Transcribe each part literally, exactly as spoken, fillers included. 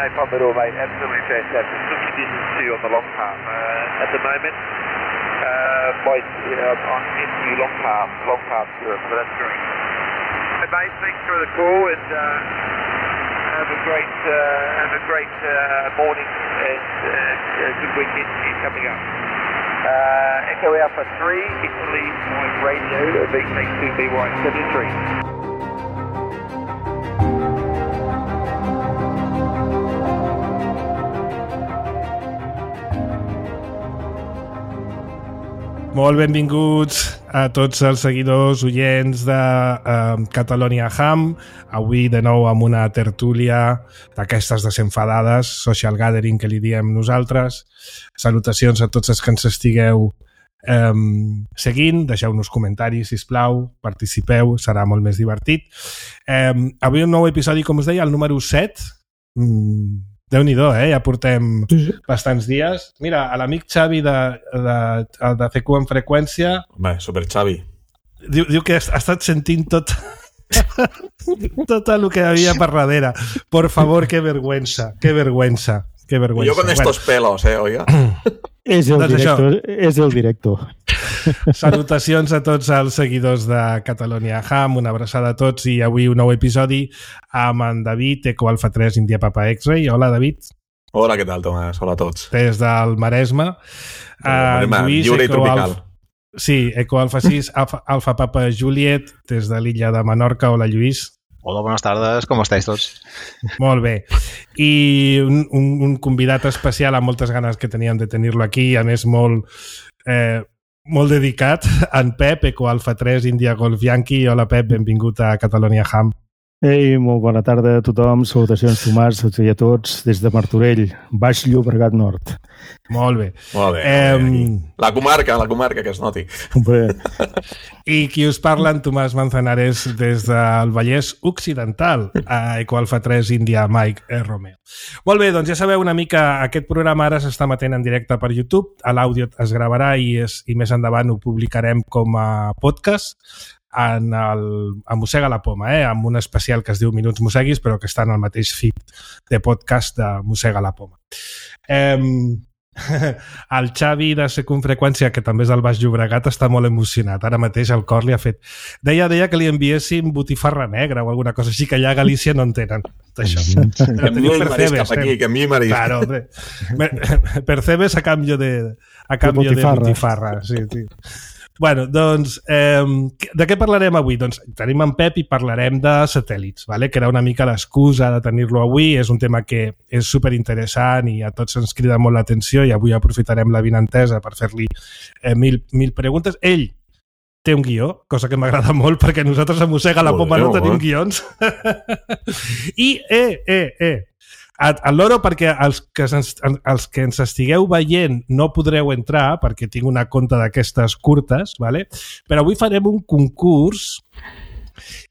no problem at all, mate. Absolutely fantastic. Good conditions too on the long palm uh, at the moment. Uh, by, you know, on into long palm, long palm Europe, so that's great. Hey, mate, thanks for the call and uh, have a great, uh, have a great uh, morning and uh, a good weekend coming up. Uh, Echo Alpha three, Italy, Mike Radio, V K two B Y seventy-three. Molt benvinguts a tots els seguidors oients de uh, Catalonia Ham. Avui de nou amb una tertúlia d'aquestes desenfadades, social gathering que li diem nosaltres. Salutacions a tots els que ens estigueu um, seguint. Deixeu-nos comentaris, sisplau, participeu, serà molt més divertit. Um, avui un nou episodi, com us deia, el número set. Mm, Déu-n'hi-do, eh? Ja portem bastants dies. Mira, a l'amic Xavi de, de, de C Q en freqüència... Home, super Xavi. Diu, diu que ha estat sentint tot, tot el que havia per darrere. Por favor, que vergüenza, que vergüenza, que vergüenza. Yo con estos bueno. pelos, eh, oiga. És el doncs directo, això. És el directo. Salutacions a tots els seguidors de Catalonia Ham, una abraçada a tots i avui un nou episodi amb en David, Eco Alfa tres, India Papa X-Ray. Hola, David. Hola, què tal, Tomàs? Hola a tots. Des del Maresme. Uh, Lluís, lliure i tropical. Alfa, sí, Eco Alfa sis, Alfa, Alfa Papa Juliet, des de l'illa de Menorca. Hola, Lluís. Hola, buenas tardes, ¿cómo estáis tots? Molt bé. I un, un, un convidat especial amb moltes ganes que teníem de tenir-lo aquí, a més molt, eh, molt dedicat, en Pep, Eco Alfa tres, India Golf Yankee. Hola, Pep, benvingut a Catalonia Ham. Ei, molt bona tarda a tothom. Salutacions, Tomàs, i a tots, des de Martorell, Baix Llobregat Nord. Molt bé. Molt bé. Eh, la comarca, la comarca, que es noti. Bé. I qui us parla, en Tomàs Manzanares, des del Vallès Occidental, a Eco Alfa tres, India Mike eh, Romeo. Molt bé, doncs ja sabeu una mica, aquest programa ara s'està emetent en directe per YouTube, a l'àudio es gravarà i, es, i més endavant ho publicarem com a podcast en el, a Mossega la Poma, eh? Amb un especial que es diu Minuts Mosseguis, però que està en el mateix feed de podcast de Mossega la Poma. Eh, el Xavi de Circunfreqüència, que també és del Baix Llobregat, està molt emocionat. Ara mateix el cor li ha fet... Deia, deia que li enviéssim botifarra negra o alguna cosa així, que allà a Galícia no en tenen. Això. Que enviï marisc cap aquí, que enviï marisc. Claro, percebes a canvi de, a canvi de botifarra. De botifarra. Sí, sí. Bueno, doncs, eh, de què parlarem avui? Doncs tenim en Pep i parlarem de satèl·lits, vale? Que era una mica l'excusa de tenir-lo avui. És un tema que és superinteressant i a tots ens crida molt l'atenció i avui aprofitarem la vinentesa per fer-li eh, mil, mil preguntes. Ell té un guió, cosa que m'agrada molt perquè nosaltres a Mossega la Poma no tenim guions. I, eh, eh, eh, al loro, perquè els que, ens, els que ens estigueu veient no podreu entrar perquè tinc una conta d'aquestes curtes, ¿vale? Però avui farem un concurs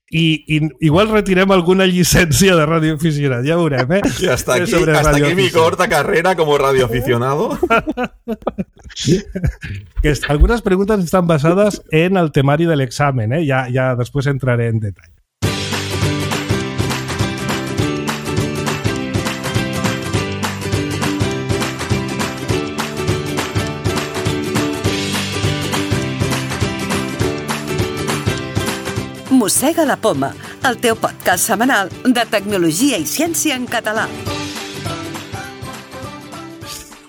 i, i igual retirem alguna llicència de radioaficionat, ja veurem, eh? Y hasta aquí, hasta aquí mi corta carrera como radioaficionado. Que algunas preguntas están basadas en el temari del examen, eh? Ya, ya después entraré en detalle. Mossega la Poma, el teu podcast setmanal de tecnologia i ciència en català.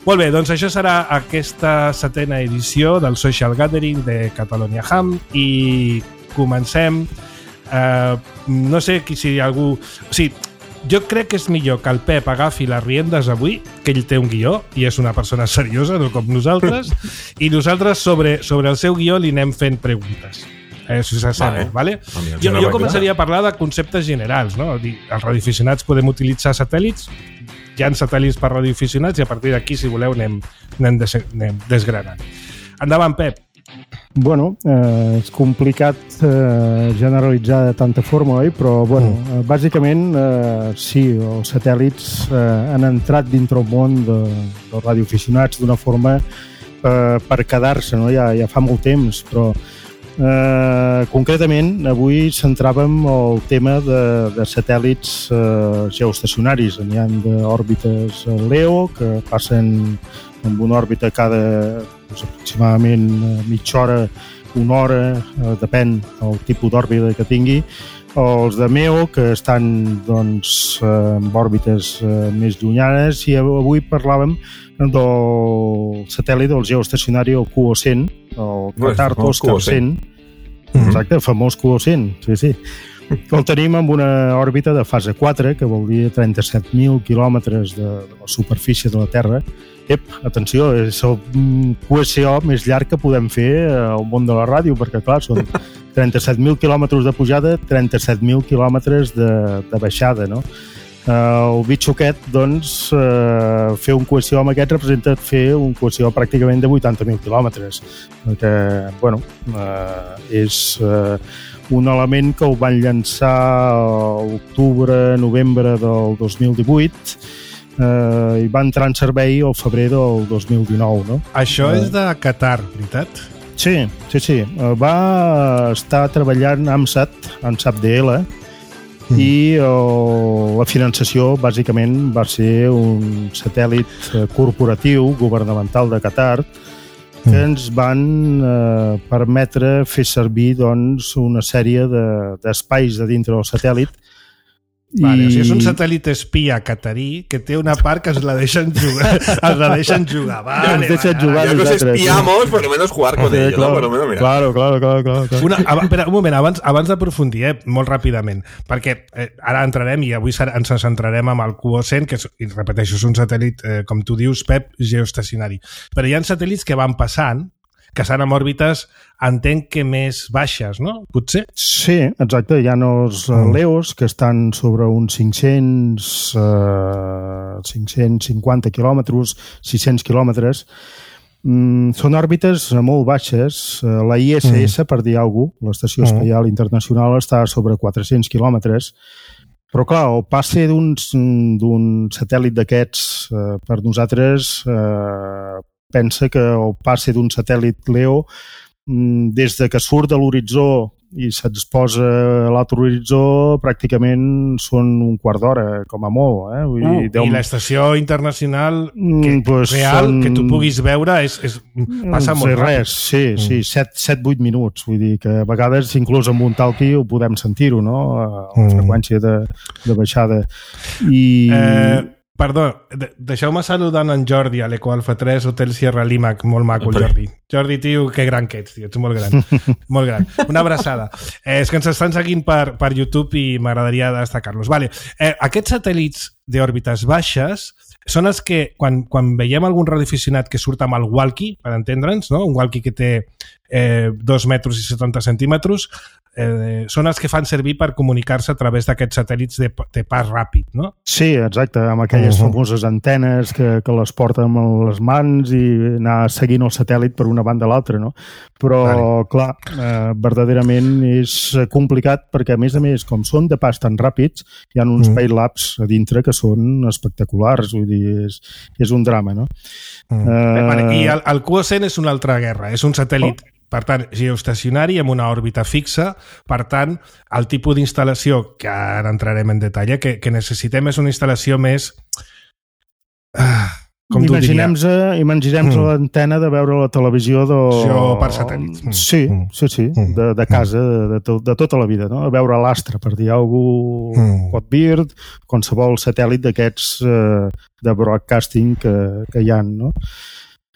Molt bé, doncs això serà aquesta setena edició del Social Gathering de Catalonia Ham i comencem. Eh, no sé si algú... O sigui, jo crec que és millor que el Pep agafi les riendes avui, que ell té un guió i és una persona seriosa, no com nosaltres, i nosaltres sobre, sobre el seu guió li anem fent preguntes. Eh, si s'assembla, vale? vale? Jo, jo començaria a parlar de conceptes generals, no? Els radioaficionats podem utilitzar satèl·lits, hi ha satèl·lits per radioaficionats i a partir d'aquí, si voleu, anem, anem, des, anem desgranant. Endavant, Pep. Bueno, eh, és complicat eh, generalitzar de tanta forma, oi? Però, bueno, mm. eh, bàsicament, eh, sí, els satèl·lits eh, han entrat dintre el món de, dels radioaficionats d'una forma eh, per quedar-se, no? Ja, ja fa molt temps, però eh, concretament avui centràvem el tema de, de satèl·lits eh, geoestacionaris. N'hi ha d'òrbites LEO que passen amb una òrbita cada doncs, aproximadament mitja hora, una hora, eh, depèn del tipus d'òrbita que tingui. Els de MEO, que estan doncs, en òrbites eh, més llunyanes, i avui parlàvem del satèl·lit del geoestacionari, el Q O cent, el Qatar Oscar cent. Exacte, el famós Q O cent, sí, sí. El tenim amb una òrbita de fase quatre, que vol dir trenta-set mil quilòmetres de, de la superfície de la Terra. Ep, atenció, és el Q S O més llarg que podem fer al món de la ràdio, perquè clar, són trenta-set mil quilòmetres de pujada, trenta-set mil quilòmetres de, de baixada, no? El bitxo aquest, doncs, eh, fer un Q S O amb aquest representa fer un Q S O pràcticament de vuitanta mil quilòmetres, perquè, bueno, eh, és eh, un element que ho van llançar a octubre, novembre del dos mil divuit, eh, i va entrar en servei al febrer del dos mil dinou, no? Això és de Qatar, veritat? Sí, sí, sí. Va estar treballant AMSAT, AMSAT D L, mm. i oh, la finançació bàsicament va ser un satèl·lit corporatiu governamental de Qatar que mm. ens van eh, permetre fer servir doncs, una sèrie d'espais de, de dintre del satèl·lit. Vale, I... o sigui, és un satèl·lit espia catarí que té una part que es la deixen jugar. Es la deixen jugar. Vale, ens deixen vale, jugar ya que os espiamos, por lo menos jugar con ellos, claro, ¿no? Por lo menos, mira. Claro, claro, claro, claro, claro. Una, espera, un moment, abans, abans d'aprofundir, eh, molt ràpidament, perquè eh, ara entrarem i avui ens centrarem amb el Q O cent, que és, i repeteixo, és un satèl·lit, eh, com tu dius, Pep, geoestacionari. Però hi ha satèl·lits que van passant, que estan en òrbites, entenc que més baixes, no? Potser? Sí, exacte. Hi ha els uh, LEOs que estan sobre uns cinc-cents, uh, cinc-cents cinquanta quilòmetres, sis-cents quilòmetres. Mm, són òrbites molt baixes. Uh, la I S S, mm. per dir alguna cosa, l'Estació Espacial mm. Internacional, està sobre quatre-cents quilòmetres. Però, clar, el passe d'un satèl·lit d'aquests uh, per nosaltres uh, pensa que el passe d'un satèl·lit LEO des de que surt de l'horitzó i se'ns posa a l'altre horitzó pràcticament són un quart d'hora, com a molt. Eh? Vull dir, uh, deu... I l'estació internacional que, pues real són... que tu puguis veure és, és, passa molt ràpid. Res, sí, mm. sí, set vuit minuts. Vull dir que a vegades inclús amb un talqui ho podem sentir-ho, no? A la mm. freqüència de, de baixada. I... Eh... Perdó, deixeu-me saludar en Jordi a l'Eco Alfa tres, Hotel Sierra Lima, molt maco el Jordi. Jordi, tio, que gran que ets, tio, ets molt gran. Molt gran. Una abraçada. Eh, és que ens estan seguint per, per YouTube i m'agradaria destacar-los. Vale. Eh, aquests satèl·lits d'òrbites baixes són els que, quan, quan veiem algun radioaficionat que surt amb el walkie, per entendre'ns, no? Un walkie que té eh, dos metres i setanta centímetres, eh, són els que fan servir per comunicar-se a través d'aquests satèl·lits de, de pas ràpid, no? Sí, exacte, amb aquelles uh -huh. famoses antenes que, que les porten amb les mans i anar seguint el satèl·lit per una banda a l'altra, no? Però, vale. clar, eh, verdaderament és complicat perquè, a més a més, com són de pas tan ràpids, hi ha uns uh -huh. Paylabs a dintre que són espectaculars, vull dir, és, és un drama, no? Uh -huh. eh, vale, I el, el Q O cent és una altra guerra, és un satèl·lit... Oh. Per tant, geoestacionari amb una òrbita fixa. Per tant, el tipus d'instal·lació, que ara entrarem en detall, que, que necessitem és una instal·lació més... Ah, com tu diries? Imaginem-nos mm. l'antena de veure la televisió de... Jo per satèl·lits. Mm. Sí, sí, sí, mm. de, de casa, de, de, to, de tota la vida, no? A veure l'astre, per dir alguna cosa, mm. Hotbird, qualsevol satèl·lit d'aquests eh, de broadcasting que, que hi ha, no?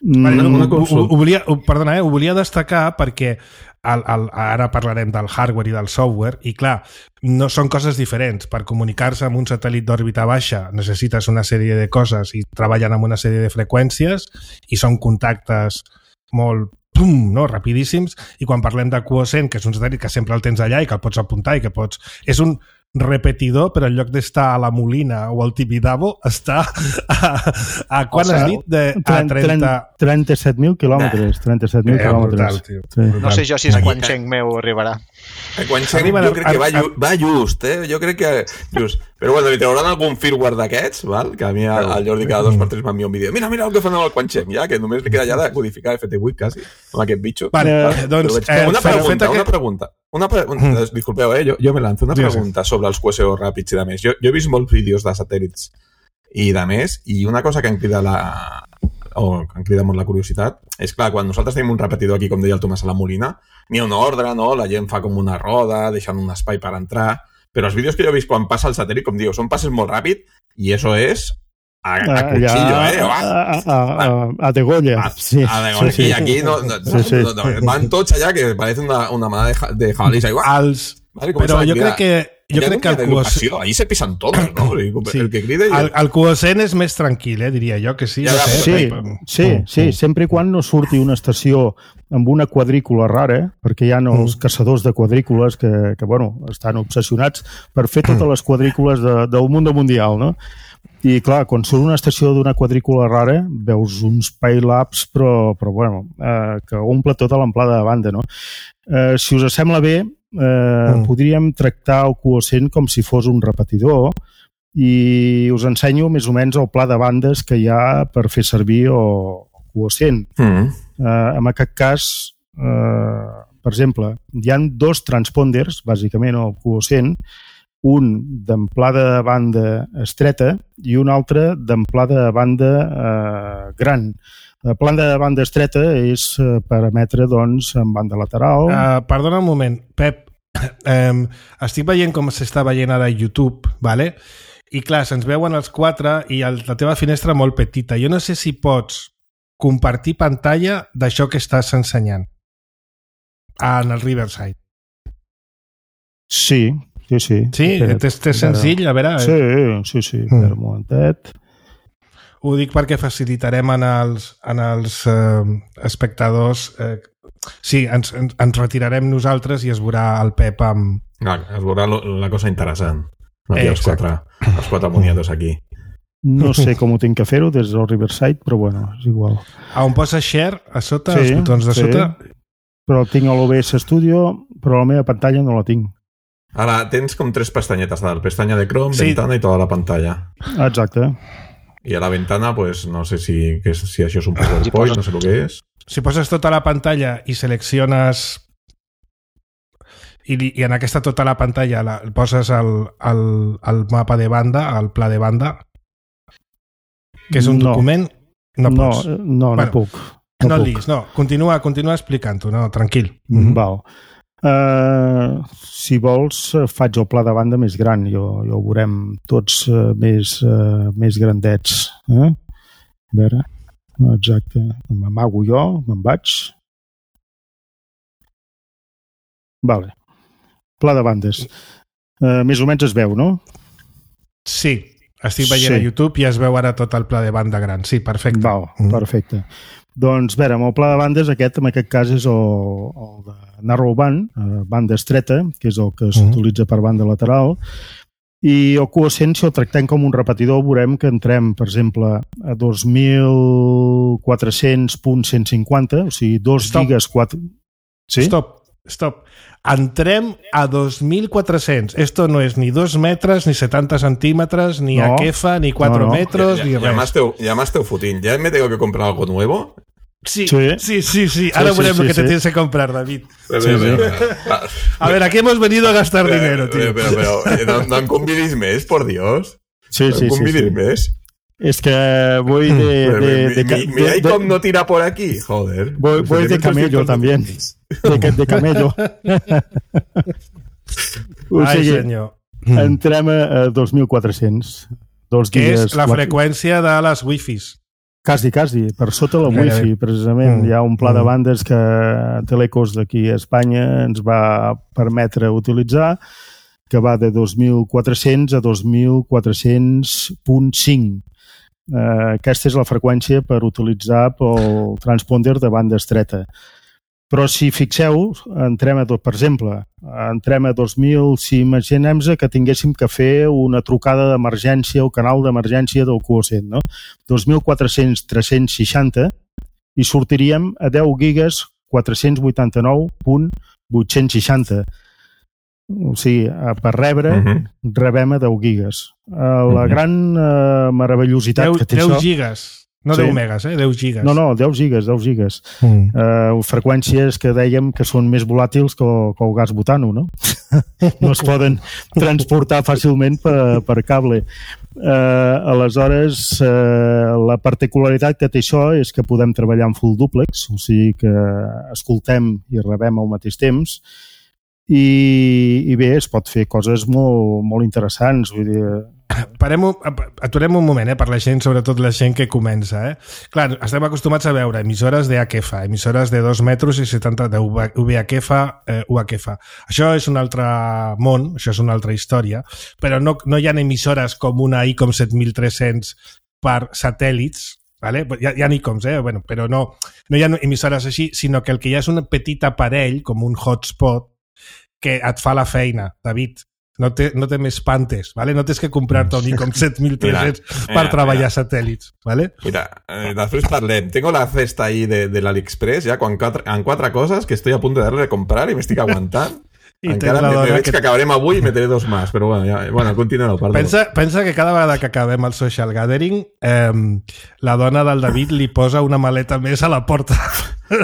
Vale, no, ho, ho, ho volia, ho, perdona, eh, ho volia destacar perquè el, el, ara parlarem del hardware i del software i clar, no són coses diferents. Per comunicar-se amb un satèl·lit d'òrbita baixa necessites una sèrie de coses i treballen amb una sèrie de freqüències i són contactes molt pum, no? Rapidíssims, i quan parlem de Q O cent, que és un satèl·lit que sempre el tens allà i que el pots apuntar i que pots... És un repetidor, però en lloc d'estar a la Molina o al Tibidabo, està a, a quan o sigui, has dit? De, a trenta... trenta-set mil quilòmetres. trenta-set mil eh, quilòmetres. Brutal, sí. No sé jo si el Quancheng meu arribarà. El Quancheng jo crec que va, ju va just, eh? Jo crec que just. Però bueno, li trauran algun firmware d'aquests, val? Que a mi el Jordi cada dos per tres m'envia un vídeo. Mira, mira el que fan amb el Quancheng, ja, que només li queda ja de codificar F T vuit, quasi, amb aquest bitxo. Vale, vale. doncs... Eh, una pregunta, una pregunta. Una pre mm. Disculpeu, eh? Jo, jo me lanzo una pregunta sí, sí. sobre els Q S O ràpids i de més. Jo, jo he vist molts vídeos de satèl·lits i de més, i una cosa que em crida la... o que em crida molt la curiositat és, clar, quan nosaltres tenim un repetidor aquí, com deia el Tomàs a la Molina, n'hi ha una ordre, no? La gent fa com una roda, deixant un espai per entrar, però els vídeos que jo he vist quan passa el satèl·lit, com diu, són passes molt ràpid i eso és a, a cuchillo, eh? A, a, a, a degolla. Sí. A degolla. Sí, sí. I aquí no, no, sí, sí. no, no, van tots allà que parece una, una manada de, de jabalís. Els... Vale, però jo crec que jo crec que el Q O C... Ahí se pisan todos, ¿no? Sí. El que crida... El, el Q O C és més tranquil, eh, diria jo, que sí. Ja, no sé, sí, però... sí, sí, sempre i quan no surti una estació amb una quadrícula rara, perquè hi ha els mm. caçadors de quadrícules que, que bueno, estan obsessionats per fer totes les quadrícules de, del món mundial, no? I, clar, quan surt una estació d'una quadrícula rara, veus uns pay-labs, però, però bueno, eh, que omple tota l'amplada de banda, no? Eh, si us sembla bé, eh, mm. podríem tractar el Q O C com si fos un repetidor i us ensenyo més o menys el pla de bandes que hi ha per fer servir el Q O C. Mm. Eh, en aquest cas, eh, per exemple, hi ha dos transponders, bàsicament, al Q O C, un d'amplada de banda estreta i un altre d'amplada de banda eh, gran. La planta de banda estreta és eh, per emetre, doncs, en banda lateral. Uh, perdona un moment, Pep. Um, estic veient com s'està veient ara a YouTube, vale? I clar, se'ns veuen els quatre i el, la teva finestra molt petita. Jo no sé si pots compartir pantalla d'això que estàs ensenyant en el Riverside. Sí, sí, sí. Sí? És senzill? A veure... Sí, sí, sí. Mm. Per un momentet. Ho dic perquè facilitarem en els, en els eh, espectadors... Eh, sí, ens, ens, ens retirarem nosaltres i es veurà el Pep amb... No, es veurà lo, la cosa interessant. No, eh, els, quatre, els quatre moniators aquí. No sé com ho tinc que fer-ho des del Riverside, però bueno, és igual. A on posa share, a sota, sí, els botons de sí. sota? Però tinc l'O B S Studio, però la meva pantalla no la tinc. Ara tens com tres pestanyetes, la pestanya de Chrome, sí. Ventana i tota la pantalla. Exacte. I a la ventana, pues, no sé si, que, si això és un PowerPoint, si poses, no sé el que és. Si poses tota la pantalla i selecciones i, i en aquesta tota la pantalla la, poses el, el, el mapa de banda, el pla de banda, que és un no. document, no pots. No, no, bueno, no puc. No, no el diguis, no. Continua, continua explicant-ho, no, tranquil. Mm-hmm. Val. Uh, si vols, faig el pla de banda més gran, jo, jo ho veurem tots uh, més, uh, més grandets. Eh? A veure, exacte. M'amago jo, me'n vaig. Vale. Pla de bandes. Uh, més o menys es veu, no? Sí, estic veient sí. a YouTube i es veu ara tot el pla de banda gran. Sí, perfecte. Val, perfecte. Mm. Doncs, a veure, amb el pla de bandes, aquest en aquest cas és el, el de narrowband, eh, banda estreta, que és el que s'utilitza per banda lateral, i el Q O C, si el tractem com un repetidor, veurem que entrem, per exemple, a dos mil quatre-cents punt cent cinquanta, o sigui, dos gigas... quatre... Sí? Stop, stop. Entrem a dos mil quatre-cents. Esto no es ni dos metres, ni setanta centímetres, ni no. Aquefa, ni cuatro no, no. metros, ya, ni ya, res. Ya me esteu fotín. ¿Ya me tengo que comprar algo nuevo? Sí, sí, sí, sí, sí. Ahora sí, veremos sí, sí, lo que sí. te tienes que comprar, David. Pero, sí, pero, sí. Pero, a ver, aquí hemos venido a gastar pero, dinero, tío. Pero, pero, pero no, no em convidis més, por Dios. Sí, no sí, em convidis sí, sí. més. Es que voy de... de, de, de, mi mi iCom no tira por aquí, joder. Voy, voy de camello también. De, de camello. Ai, sigui, senyor. Entrem a dos mil quatre-cents. Dos que dies, és la quatre... freqüència de les wifis. Quasi, quasi. Per sota la wifi, precisament. Mm. Hi ha un pla de bandes que Telecos d'aquí a Espanya ens va permetre utilitzar, que va de dos mil quatre-cents a dos mil quatre-cents punt cinc. Uh, aquesta és la freqüència per utilitzar pel transponder de banda estreta. Però si fixeu, entrem a tot, per exemple, entrem a dos mil, si imaginem que tinguéssim que fer una trucada d'emergència o canal d'emergència del Q O C, no? dos mil quatre-cents tres-cents seixanta i sortiríem a deu gigas quatre-cents vuitanta-nou punt vuit-cents seixanta. O sigui, per rebre, uh-huh. rebem a deu gigas. Uh, la uh-huh. gran uh, meravellositat deu, que té deu això... deu gigas, no sí. deu megas, eh? deu gigas. No, no, deu gigas, deu gigas. Mm. Uh, freqüències que dèiem que són més volàtils que el, que el gas butano, no? No es poden transportar fàcilment per, per cable. Uh, aleshores, uh, la particularitat que té això és que podem treballar en full duplex, o sigui que escoltem i rebem al mateix temps, i, i bé, es pot fer coses molt, molt interessants. Vull dir... Parem, aturem un moment, eh, per la gent, sobretot la gent que comença. Eh? Clar, estem acostumats a veure emissores de H F, emissores de dos metres i setanta de V H F, eh, U H F. Això és un altre món, això és una altra història, però no, no hi ha emissores com una ICOM set mil tres-cents per satèl·lits, vale? Hi ha, hi ha ICOMs, eh? Bueno, però no, no hi ha emissores així, sinó que el que hi ha és un petit aparell, com un hotspot, que et fa la feina, David. No té, no té més pantes, ¿vale? No tens que comprar-te un ICOM set mil tres-cents per mira, treballar mira. satèl·lits, ¿vale? Mira, eh, després parlem. Tengo la cesta ahí de, de l'AliExpress ya con cuatro, en quatre coses que estoy a punto de darle de comprar y me estic aguantant. I encara me, me veig que... que acabarem avui i meteré dos més, però bueno, ja, bueno continuo, perdó. Pensa, pensa que cada vegada que acabem el social gathering, eh, la dona del David li posa una maleta més a la porta.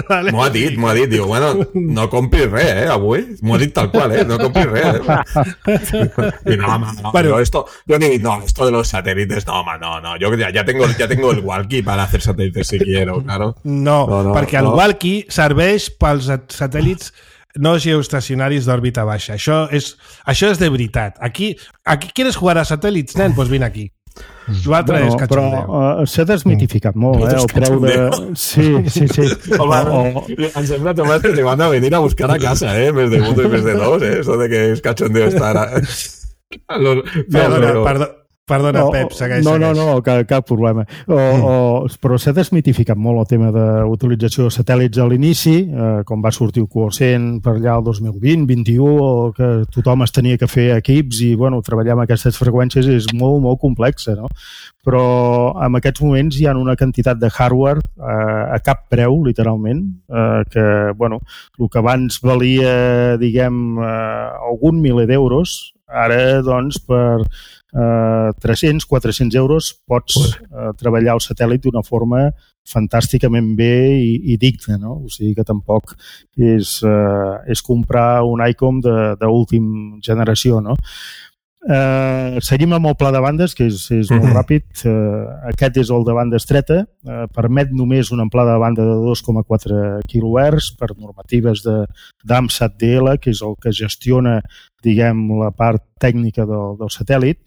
Vale? M'ho ha dit, m'ho ha dit. Diu, bueno, no compris res, eh, avui. M'ho ha dit tal qual, eh, no compris res. Eh. I no, home, no, bueno, yo esto, yo ni, no, esto de los satélites, no, home, no, no, yo ya, ya, tengo, ya tengo el walkie para hacer satélites si quiero, claro. No, no, no perquè no. El walkie serveix pels satèl·lits no geoestacionaris d'òrbita baixa. Això és, això és de veritat. Aquí, aquí quieres jugar a satèl·lits, nen? Doncs vine aquí. L'altre bueno, és cachondeo. Però uh, s'ha desmitificat mm. molt, eh? El preu de... Sí, sí, sí. Home, o... em sembla, Tomàs, que te van a venir a buscar a casa, eh? Més de uno i més de dos, eh? Eso de que és cachondeo estar... A... Los... Perdona, però... perdona. Perdona, no, Pep, segueix, no, segueix. No, no, cap, cap problema. O, mm. o, però s'ha desmitificat molt el tema d'utilització de satèl·lits a l'inici, eh, com va sortir el Q O C per allà el dos mil vint, vint-i-u, o que tothom es tenia que fer equips i, bueno, treballar amb aquestes freqüències és molt, molt complexa, no? Però en aquests moments hi ha una quantitat de hardware eh, a cap preu, literalment, eh, que, bueno, el que abans valia, diguem, eh, algun miler d'euros, ara, doncs, per Uh, tres-cents, quatre-cents euros pots uh, treballar el satèl·lit d'una forma fantàsticament bé i, i digna, no? O sigui que tampoc és, uh, és comprar un ICOM d'últim generació, no? Uh, seguim amb el pla de bandes, que és, és molt ràpid. Uh, aquest és el de banda estreta, uh, permet només una amplada de banda de dos coma quatre quilohertz per normatives d'AMSAT D L, que és el que gestiona, diguem, la part tècnica del, del satèl·lit,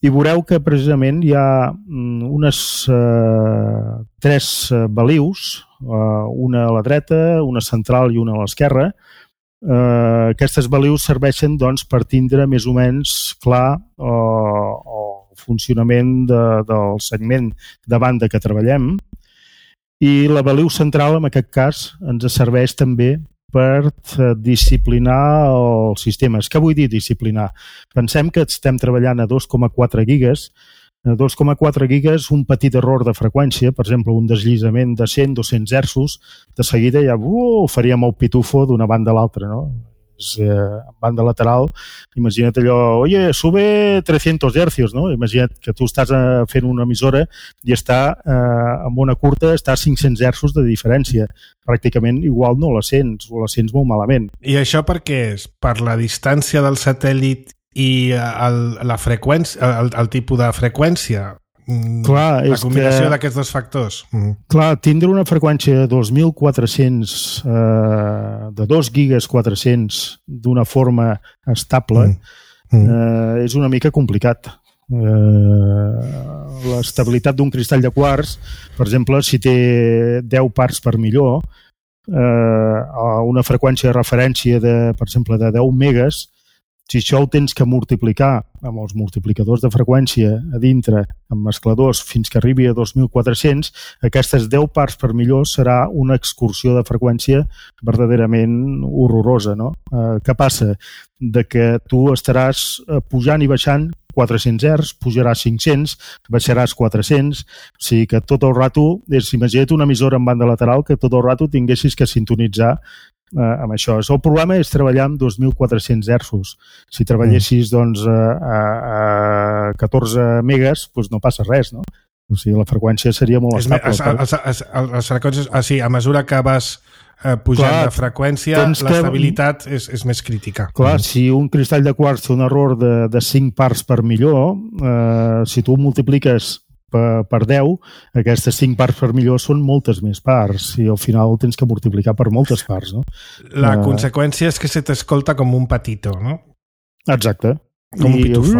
i veureu que precisament hi ha unes uh, tres balius, uh, una a la dreta, una central i una a l'esquerra. Uh, aquestes balius serveixen, doncs, per tindre més o menys clar uh, el funcionament de, del segment de banda que treballem, i la baliu central, en aquest cas, ens serveix també per disciplinar els sistemes. Què vull dir disciplinar? Pensem que estem treballant a dos coma quatre gigas. A dos coma quatre gigas, un petit error de freqüència, per exemple, un deslliçament de cent a dos-cents hertzos, de seguida ja uh, faríem el pitufo d'una banda a l'altra, no? És, eh, banda lateral, imagina't allò, oye, sube tres-cents hercios, no? Imagina't que tu estàs fent una emissora i està, eh, amb una curta, està a cinc-cents hertzos de diferència. Pràcticament igual no la sents, o la sents molt malament. I això per què és? Per la distància del satèl·lit i el, la freqüència, el, el tipus de freqüència? Clar, la combinació d'aquests dos factors. Mm. Clar, tindre una freqüència de dos mil quatre-cents, eh, de dos gigas quatre-cents d'una forma estable, mm. Mm. Eh, és una mica complicat. Eh, l'estabilitat d'un cristall de quars, per exemple, si té deu parts per milió, eh, a una freqüència de referència de, per exemple, de deu megas, Si això ho tens que multiplicar amb els multiplicadors de freqüència a dintre, amb mescladors, fins que arribi a dos mil quatre-cents, aquestes deu parts per milió serà una excursió de freqüència verdaderament horrorosa, no? Eh, què passa? De que tu estaràs pujant i baixant quatre-cents hertz, pujaràs cinc-cents, baixaràs quatre-cents, o sigui que tot el rato, és, imagina't una emissora en banda lateral que tot el rato tinguessis que sintonitzar eh, amb això. El problema és treballar amb dos mil quatre-cents hertzos. Si treballessis doncs, a, a, a catorze megas, doncs no passa res, no? O sigui, la freqüència seria molt estable. Es, es, es, les freqüències, ah, sí, a mesura que vas eh, pujant clar, de freqüència, l'estabilitat que... és, és més crítica. Clar, mm. si un cristall de quars té un error de, de cinc parts per milió, eh, si tu multipliques per, per deu, aquestes cinc parts per milió són moltes més parts i al final tens que multiplicar per moltes parts, no? La uh... conseqüència és que se t'escolta com un patito, no? Exacte. Com un pitufo.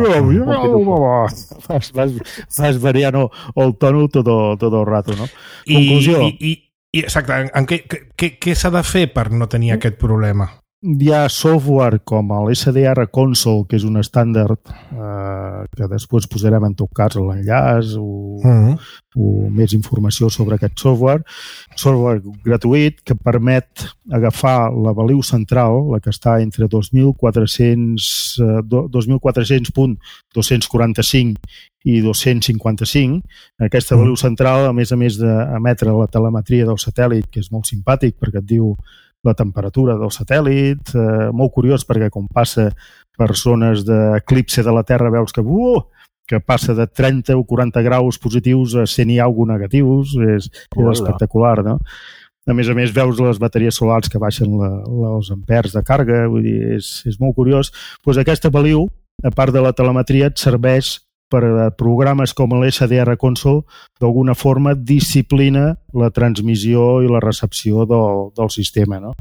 Vas, vas, vas variant el tono tot, tot el rato, no? I, Conclusió. I, i, i, exacte, en què, què, què s'ha de fer per no tenir aquest problema? Hi ha software com l'S D R Console, que és un estàndard eh, que després posarem en tot cas l'enllaç o, uh-huh. o més informació sobre aquest software. Software gratuït que permet agafar la baliu central, la que està entre dos mil quatre-cents punt dos-cents quaranta-cinc i dos-cents cinquanta-cinc. Aquesta baliu central, a més a més d'emetre la telemetria del satèl·lit, que és molt simpàtic perquè et diu la temperatura del satèl·lit, eh, molt curiós perquè com passa per zones d'eclipse de la Terra veus que, uh, que passa de trenta o quaranta graus positius a cent i alguna negatius, és, és espectacular, no? A més a més veus les bateries solars que baixen la, la, els ampers de càrrega, vull dir, és, és molt curiós. Pues aquesta baliu, a part de la telemetria, et serveix per programes com l'S D R Console, d'alguna forma disciplina la transmissió i la recepció del, del sistema, no?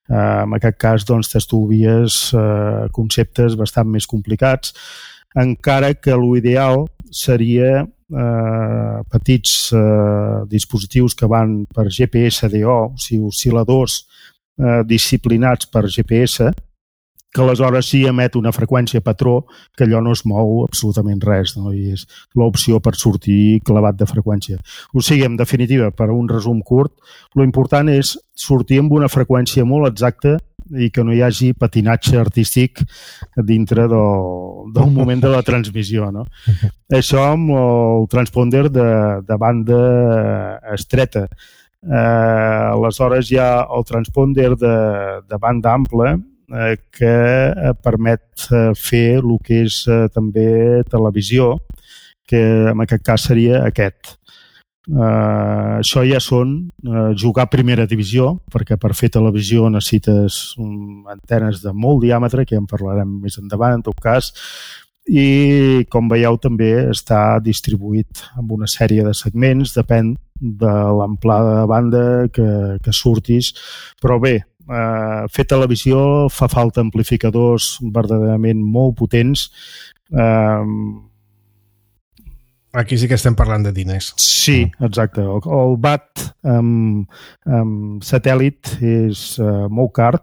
Eh, en aquest cas, doncs, t'estudies eh, conceptes bastant més complicats, encara que l'ideal seria eh, petits eh, dispositius que van per G P S D O, o sigui, oscil·ladors eh, disciplinats per G P S, que aleshores sí emet una freqüència patró que allò no es mou absolutament res, no? I és l'opció per sortir clavat de freqüència. O sigui, en definitiva, per un resum curt, l'important és sortir amb una freqüència molt exacta i que no hi hagi patinatge artístic dintre del, del moment de la transmissió, no? Això amb el transponder de, de banda estreta. Eh, aleshores hi ha el transponder de, de banda ampla, eh, que permet fer el que és eh, també televisió, que en aquest cas seria aquest. Uh, això ja són uh, jugar a primera divisió, perquè per fer televisió necessites um, antenes de molt diàmetre, que ja en parlarem més endavant en tot cas, i com veieu també està distribuït amb una sèrie de segments, depèn de l'amplada de banda que, que surtis, però bé, uh, fer televisió fa falta amplificadors verdaderament molt potents. uh, Aquí sí que estem parlant de diners. Sí, exacte. El, el B A T amb, amb satèl·lit és uh, molt car.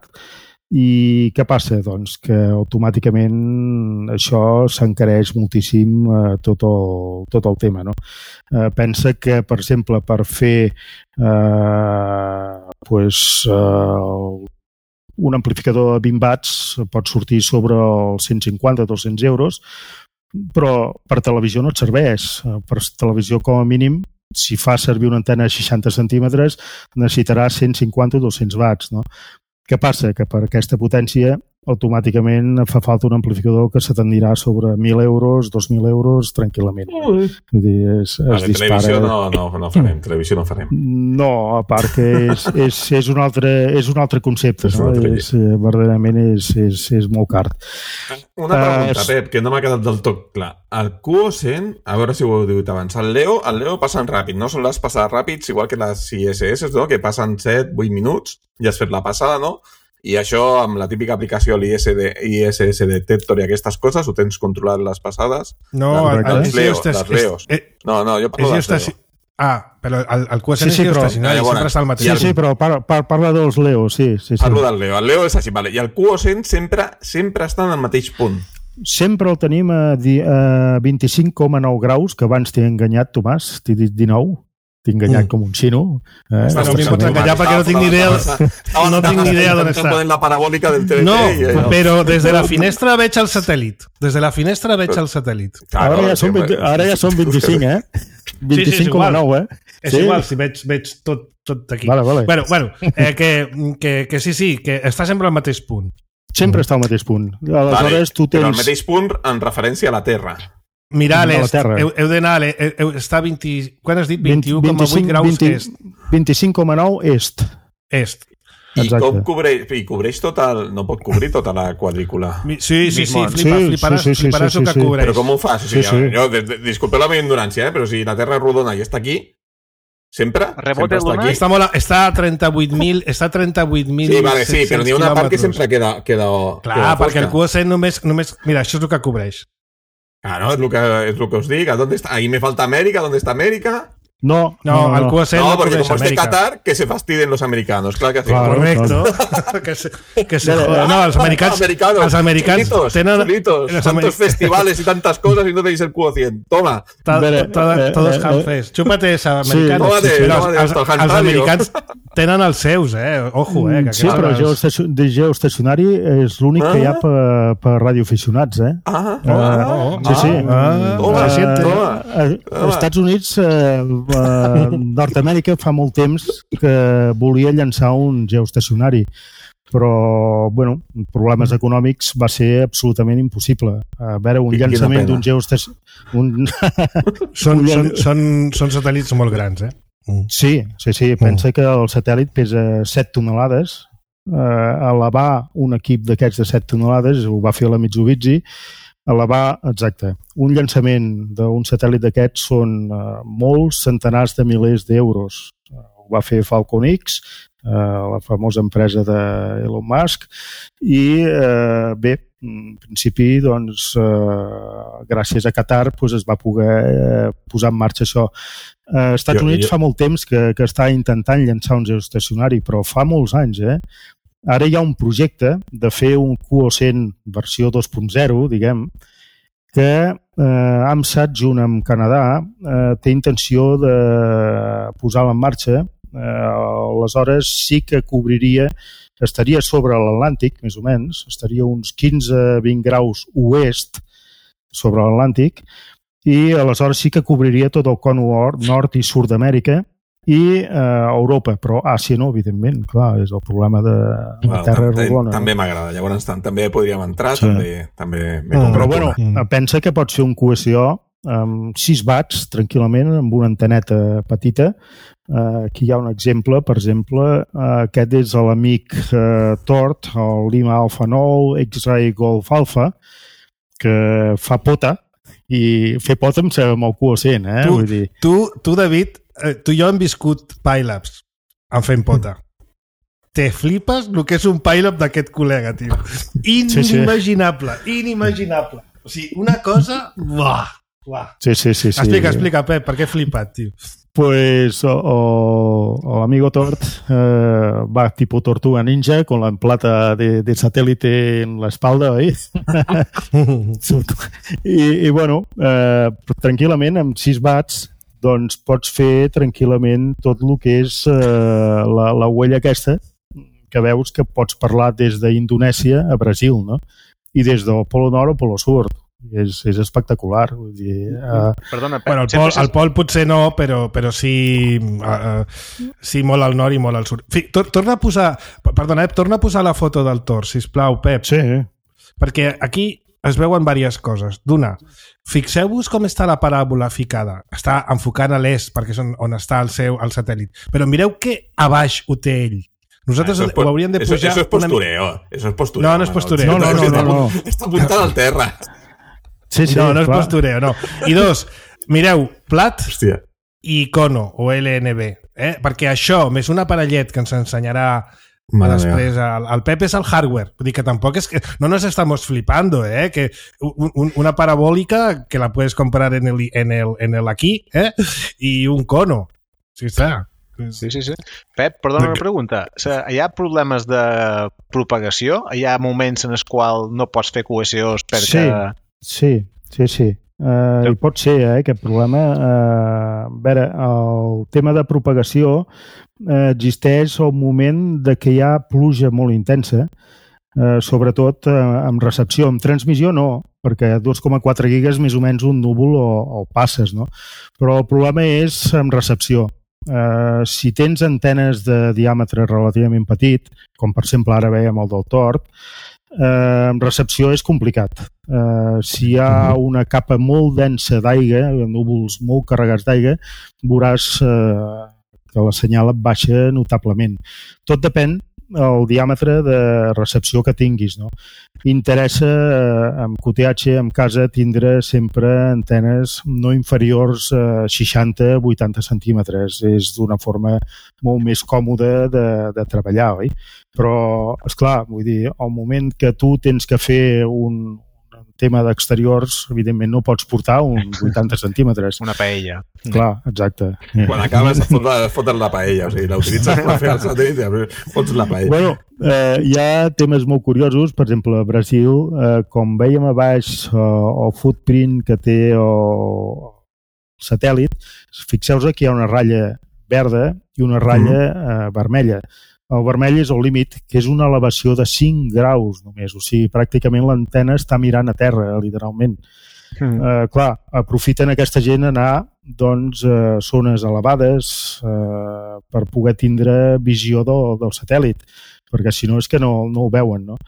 I què passa? Doncs que automàticament això s'encareix moltíssim uh, tot, el, tot el tema, no? Uh, pensa que, per exemple, per fer uh, pues, uh, un amplificador de vint watts pot sortir sobre els cent cinquanta a dos-cents euros, però per televisió no et serveix. Per televisió, com a mínim, si fa servir una antena de seixanta centímetres, necessitarà cent cinquanta o dos-cents watts, no? Què passa? Que per aquesta potència automàticament fa falta un amplificador que se tendirà sobre mil euros, dos mil euros, tranquil·lament. Vull dir, es, es vale, dispara... Televisió no, no, no farem, televisió no farem. No, a part que és, és, és, un, altre, és un altre concepte, és no? altre És, verdaderament és, és, és molt car. Una pregunta, uh, Pep, que no m'ha quedat del tot clar. El Q O cent, a veure si ho heu dit abans, el Leo, el Leo passen ràpid, no són les passades ràpids, igual que les I S S, no? Que passen set vuit minuts, ja has fet la passada, no? I això, amb la típica aplicació l'I S S Detector i aquestes coses, ho tens controlat les passades? No, les, el, les, el, Leo, estàs, les Leos. Eh, no, no, jo parlo de les Leo. Ah, però el, el Q S N sí, sí, és però, estacionari, ja, sempre està al mateix. Sí, sí, però par, par, parla dels Leo, sí. sí, sí. Parlo del Leo. El Leo és així, vale. I el Q O cent sempre, sempre està en el mateix punt. Sempre el tenim a, di, a vint-i-cinc coma nou graus, que abans t'he enganyat, Tomàs, t'he dit dinou. T'he enganyat mm. com un xino. Eh? Però no m'hi pots enganyar perquè no tinc ni idea, no tinc ni idea d'on està. La parabòlica del T V T. No, però des de la finestra veig el satèl·lit. Des de la finestra veig el satèl·lit. Ara ja són, vint, ara ja són vint-i-cinc, eh? vint-i-cinc coma nou, eh? És igual, si veig, veig tot, tot aquí. Vale, vale. Bueno, bueno eh, que, que, que sí, sí, que està sempre al mateix punt. Sempre està al mateix punt. Aleshores, vale, tu tens... Però al mateix punt en referència a la Terra. Mirar a l'est, heu, heu d'anar a l'est, està a vint... Quan has dit? vint-i-u coma vuit graus vint, est. vint-i-cinc coma nou est. Est. I com cobreix, i cobreix tot el... No pot cobrir tota la quadrícula. Sí, sí, sí, flipa, fliparàs, sí, sí, fliparàs sí, el que sí. cobreix. Però com ho fas? O sigui, sí, sí. Jo, disculpeu la meva ignorància, eh? Però si la Terra és rodona i està aquí, sempre, sempre està aquí. Està, molt, està a trenta-vuit mil... Està a trenta-vuit mil... Sí, vale, sí, però n'hi ha una part que sempre queda, queda Clar, queda perquè el Q O cent només, només... Mira, això és el que cobreix. Claro, es lo que, es lo que os diga. ¿Dónde está? Ahí me falta América. ¿Dónde está América? No, no, no, al Q O cent no, no porque como es de América. Qatar, que se fastidien los americanos. Claro que sí. Claro, correcto. Claro. que se, que se jodan. No, els americans, americanos, els americans solitos, tenen... solitos, tantos americ... festivales y tantas cosas y no tenéis el Q O cent. Toma. Ta, ta, ta, todos hanfes. Chúpate esa, americanos. Sí, tómate, però tómate, els, els, els americans tenen els seus, eh? Ojo, eh? Que sí, però el geoestacionari és l'únic ah. que hi ha per, per radioaficionats, eh? Ah, oh, oh, oh, sí, sí. Ah, toma, uh, toma. Als Estats Units, eh, uh, Nord-Amèrica fa molt temps que volia llançar un geoestacionari, però, bueno, problemes econòmics va ser absolutament impossible. A veure, un llançament d'un geoestacionari... Un... són, són, són, són satèl·lits molt grans, eh? Mm. Sí, sí, sí. Pensa mm. que el satèl·lit pesa set tonelades. Eh, elevar un equip d'aquests de set tonelades, ho va fer la Mitsubishi, elevar, exacte, un llançament d'un satèl·lit d'aquests són eh, molts centenars de milers d'euros. Eh, ho va fer Falcon X, eh, la famosa empresa d'Elon Musk, i eh, bé, en principi, doncs, eh, gràcies a Qatar doncs, es va poder eh, posar en marxa això. Eh, Estats jo, Units jo... fa molt temps que, que està intentant llançar un geoestacionari, però fa molts anys, eh? Ara hi ha un projecte de fer un Q O cent versió dos punt zero, diguem, que eh, AMSAT, junt amb Canadà, eh, té intenció de posar-la en marxa. Eh, aleshores sí que cobriria, estaria sobre l'Atlàntic, més o menys, estaria uns quinze a vint graus oest sobre l'Atlàntic, i aleshores sí que cobriria tot el con nord i sud d'Amèrica, i eh, Europa, però Àsia no, evidentment, clar, és el problema de la bueno, terra rodona. També m'agrada, llavors també podríem entrar, sí. també, també m'he mm. Però bueno, mm. pensa que pots fer un Q S O amb sis watts, tranquil·lament, amb una anteneta petita. Uh, aquí hi ha un exemple, per exemple, uh, aquest és l'amic uh, Tort, el Lima Alpha nou, X-Ray Golf Alpha, que fa pota, i fer pota amb el Q O cent, eh? Tu, Vull dir... tu, tu David, tu i jo hem viscut PyLabs en fent pota. Te flipes el que és un PyLab d'aquest col·lega, tio. Inimaginable, sí, sí. inimaginable. O sigui, una cosa... Buah, buah. Sí, sí, sí, sí. Explica, explica, Pep, per què he flipat, tio? Pues o, o, el amigo Tort eh, va tipo tortuga ninja con la plata de, de satélite en la espalda, ¿eh? I, i bueno, eh, tranquil·lament, amb sis watts, doncs pots fer tranquil·lament tot el que és eh, la, la huella aquesta, que veus que pots parlar des d'Indonèsia a Brasil, no? I des del Polo Nord al Polo Sud. És, és espectacular. Vull dir, uh... Perdona, bueno, el, pol, el pol potser no, però, però sí, uh, sí molt al nord i molt al sud. Fi, tor torna a posar, perdona, eh, torna a posar la foto del Tor, sisplau, Pep. Sí. Perquè aquí es veuen diverses coses. D'una, fixeu-vos com està la paràbola ficada. Està enfocant a l'est, perquè és on, on està el seu el satèl·lit. Però mireu que a baix ho té ell. Nosaltres eso es, ho hauríem de pujar... Eso, eso es postureo. Una... Eso es postureo. No, no és postureo. No, no, no. no, no, no. Està apuntant al terra. Sí, sí, no, no és clar. postureo, no. I dos, mireu, plat Hòstia. I icono o L N B, eh? Perquè això, més un aparellet que ens ensenyarà Madre després el, el Pep és el hardware. Vull dir que tampoc és que no nos estamos flipando, eh? Que un, un, una parabólica que la puedes comprar en el, en el, en el aquí, eh? Y un cono. Sí, està. Sí, sí, sí. Pep, perdona una pregunta. Hi ha problemes de propagació? Hi ha moments en els quals no pots fer Q S Os perquè... Sí, sí, sí, sí. Uh, hi pot ser, eh, aquest problema. Uh, a veure, el tema de propagació uh, existeix al moment de que hi ha pluja molt intensa, uh, sobretot uh, amb recepció. Amb transmissió no, perquè dos coma quatre gigas més o menys un núvol o, o passes, no? Però el problema és amb recepció. Uh, si tens antenes de diàmetre relativament petit, com per exemple ara veiem el del tord, uh, amb recepció és complicat. Uh, si hi ha una capa molt densa d'aigua, núvols molt carregats d'aigua, veuràs uh, que la senyal et baixa notablement. Tot depèn el diàmetre de recepció que tinguis, no? Interessa eh, amb Q T H en casa tindre sempre antenes no inferiors a seixanta a vuitanta centímetres. És d'una forma molt més còmoda de, de treballar, oi? Però, esclar, vull dir, al moment que tu tens que fer un, un tema d'exteriors, evidentment no pots portar uns vuitanta centímetres. Una paella. Clar, exacte. Quan acabes et foten la paella, o sigui, la utilitzes per fer el satèl·lit i fots la paella. Bueno, eh, hi ha temes molt curiosos, per exemple, a Brasil, eh, com veiem a baix eh, el footprint que té el satèl·lit, fixeu-vos que hi ha una ratlla verda i una ratlla eh, vermella. El vermell és el límit, que és una elevació de cinc graus només, o sigui, pràcticament l'antena està mirant a terra, literalment. Mm. Eh, clar, aprofiten aquesta gent anar doncs, a zones elevades eh, per poder tindre visió del, del satèl·lit, perquè si no és que no, no ho veuen, no?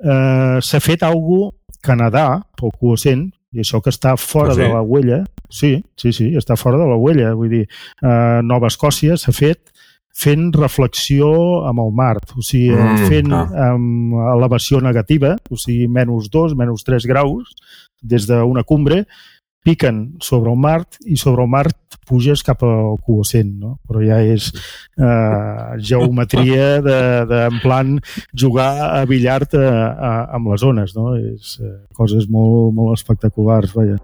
Eh, s'ha fet alguna cosa Canadà, el Q O cent, i això que està fora ah, sí? de la huella, sí, sí, sí, està fora de la huella, vull dir, eh, Nova Escòcia s'ha fet fent reflexió amb el mar, o sigui, mm, fent ah. amb elevació negativa, o sigui, menys dos, menys tres graus, des d'una cumbre, piquen sobre el mar i sobre el mar puges cap al Q O cent, no? Però ja és eh, geometria de, de, en plan, jugar a billard a, a, amb les ones, no? És eh, coses molt, molt espectaculars, vaja.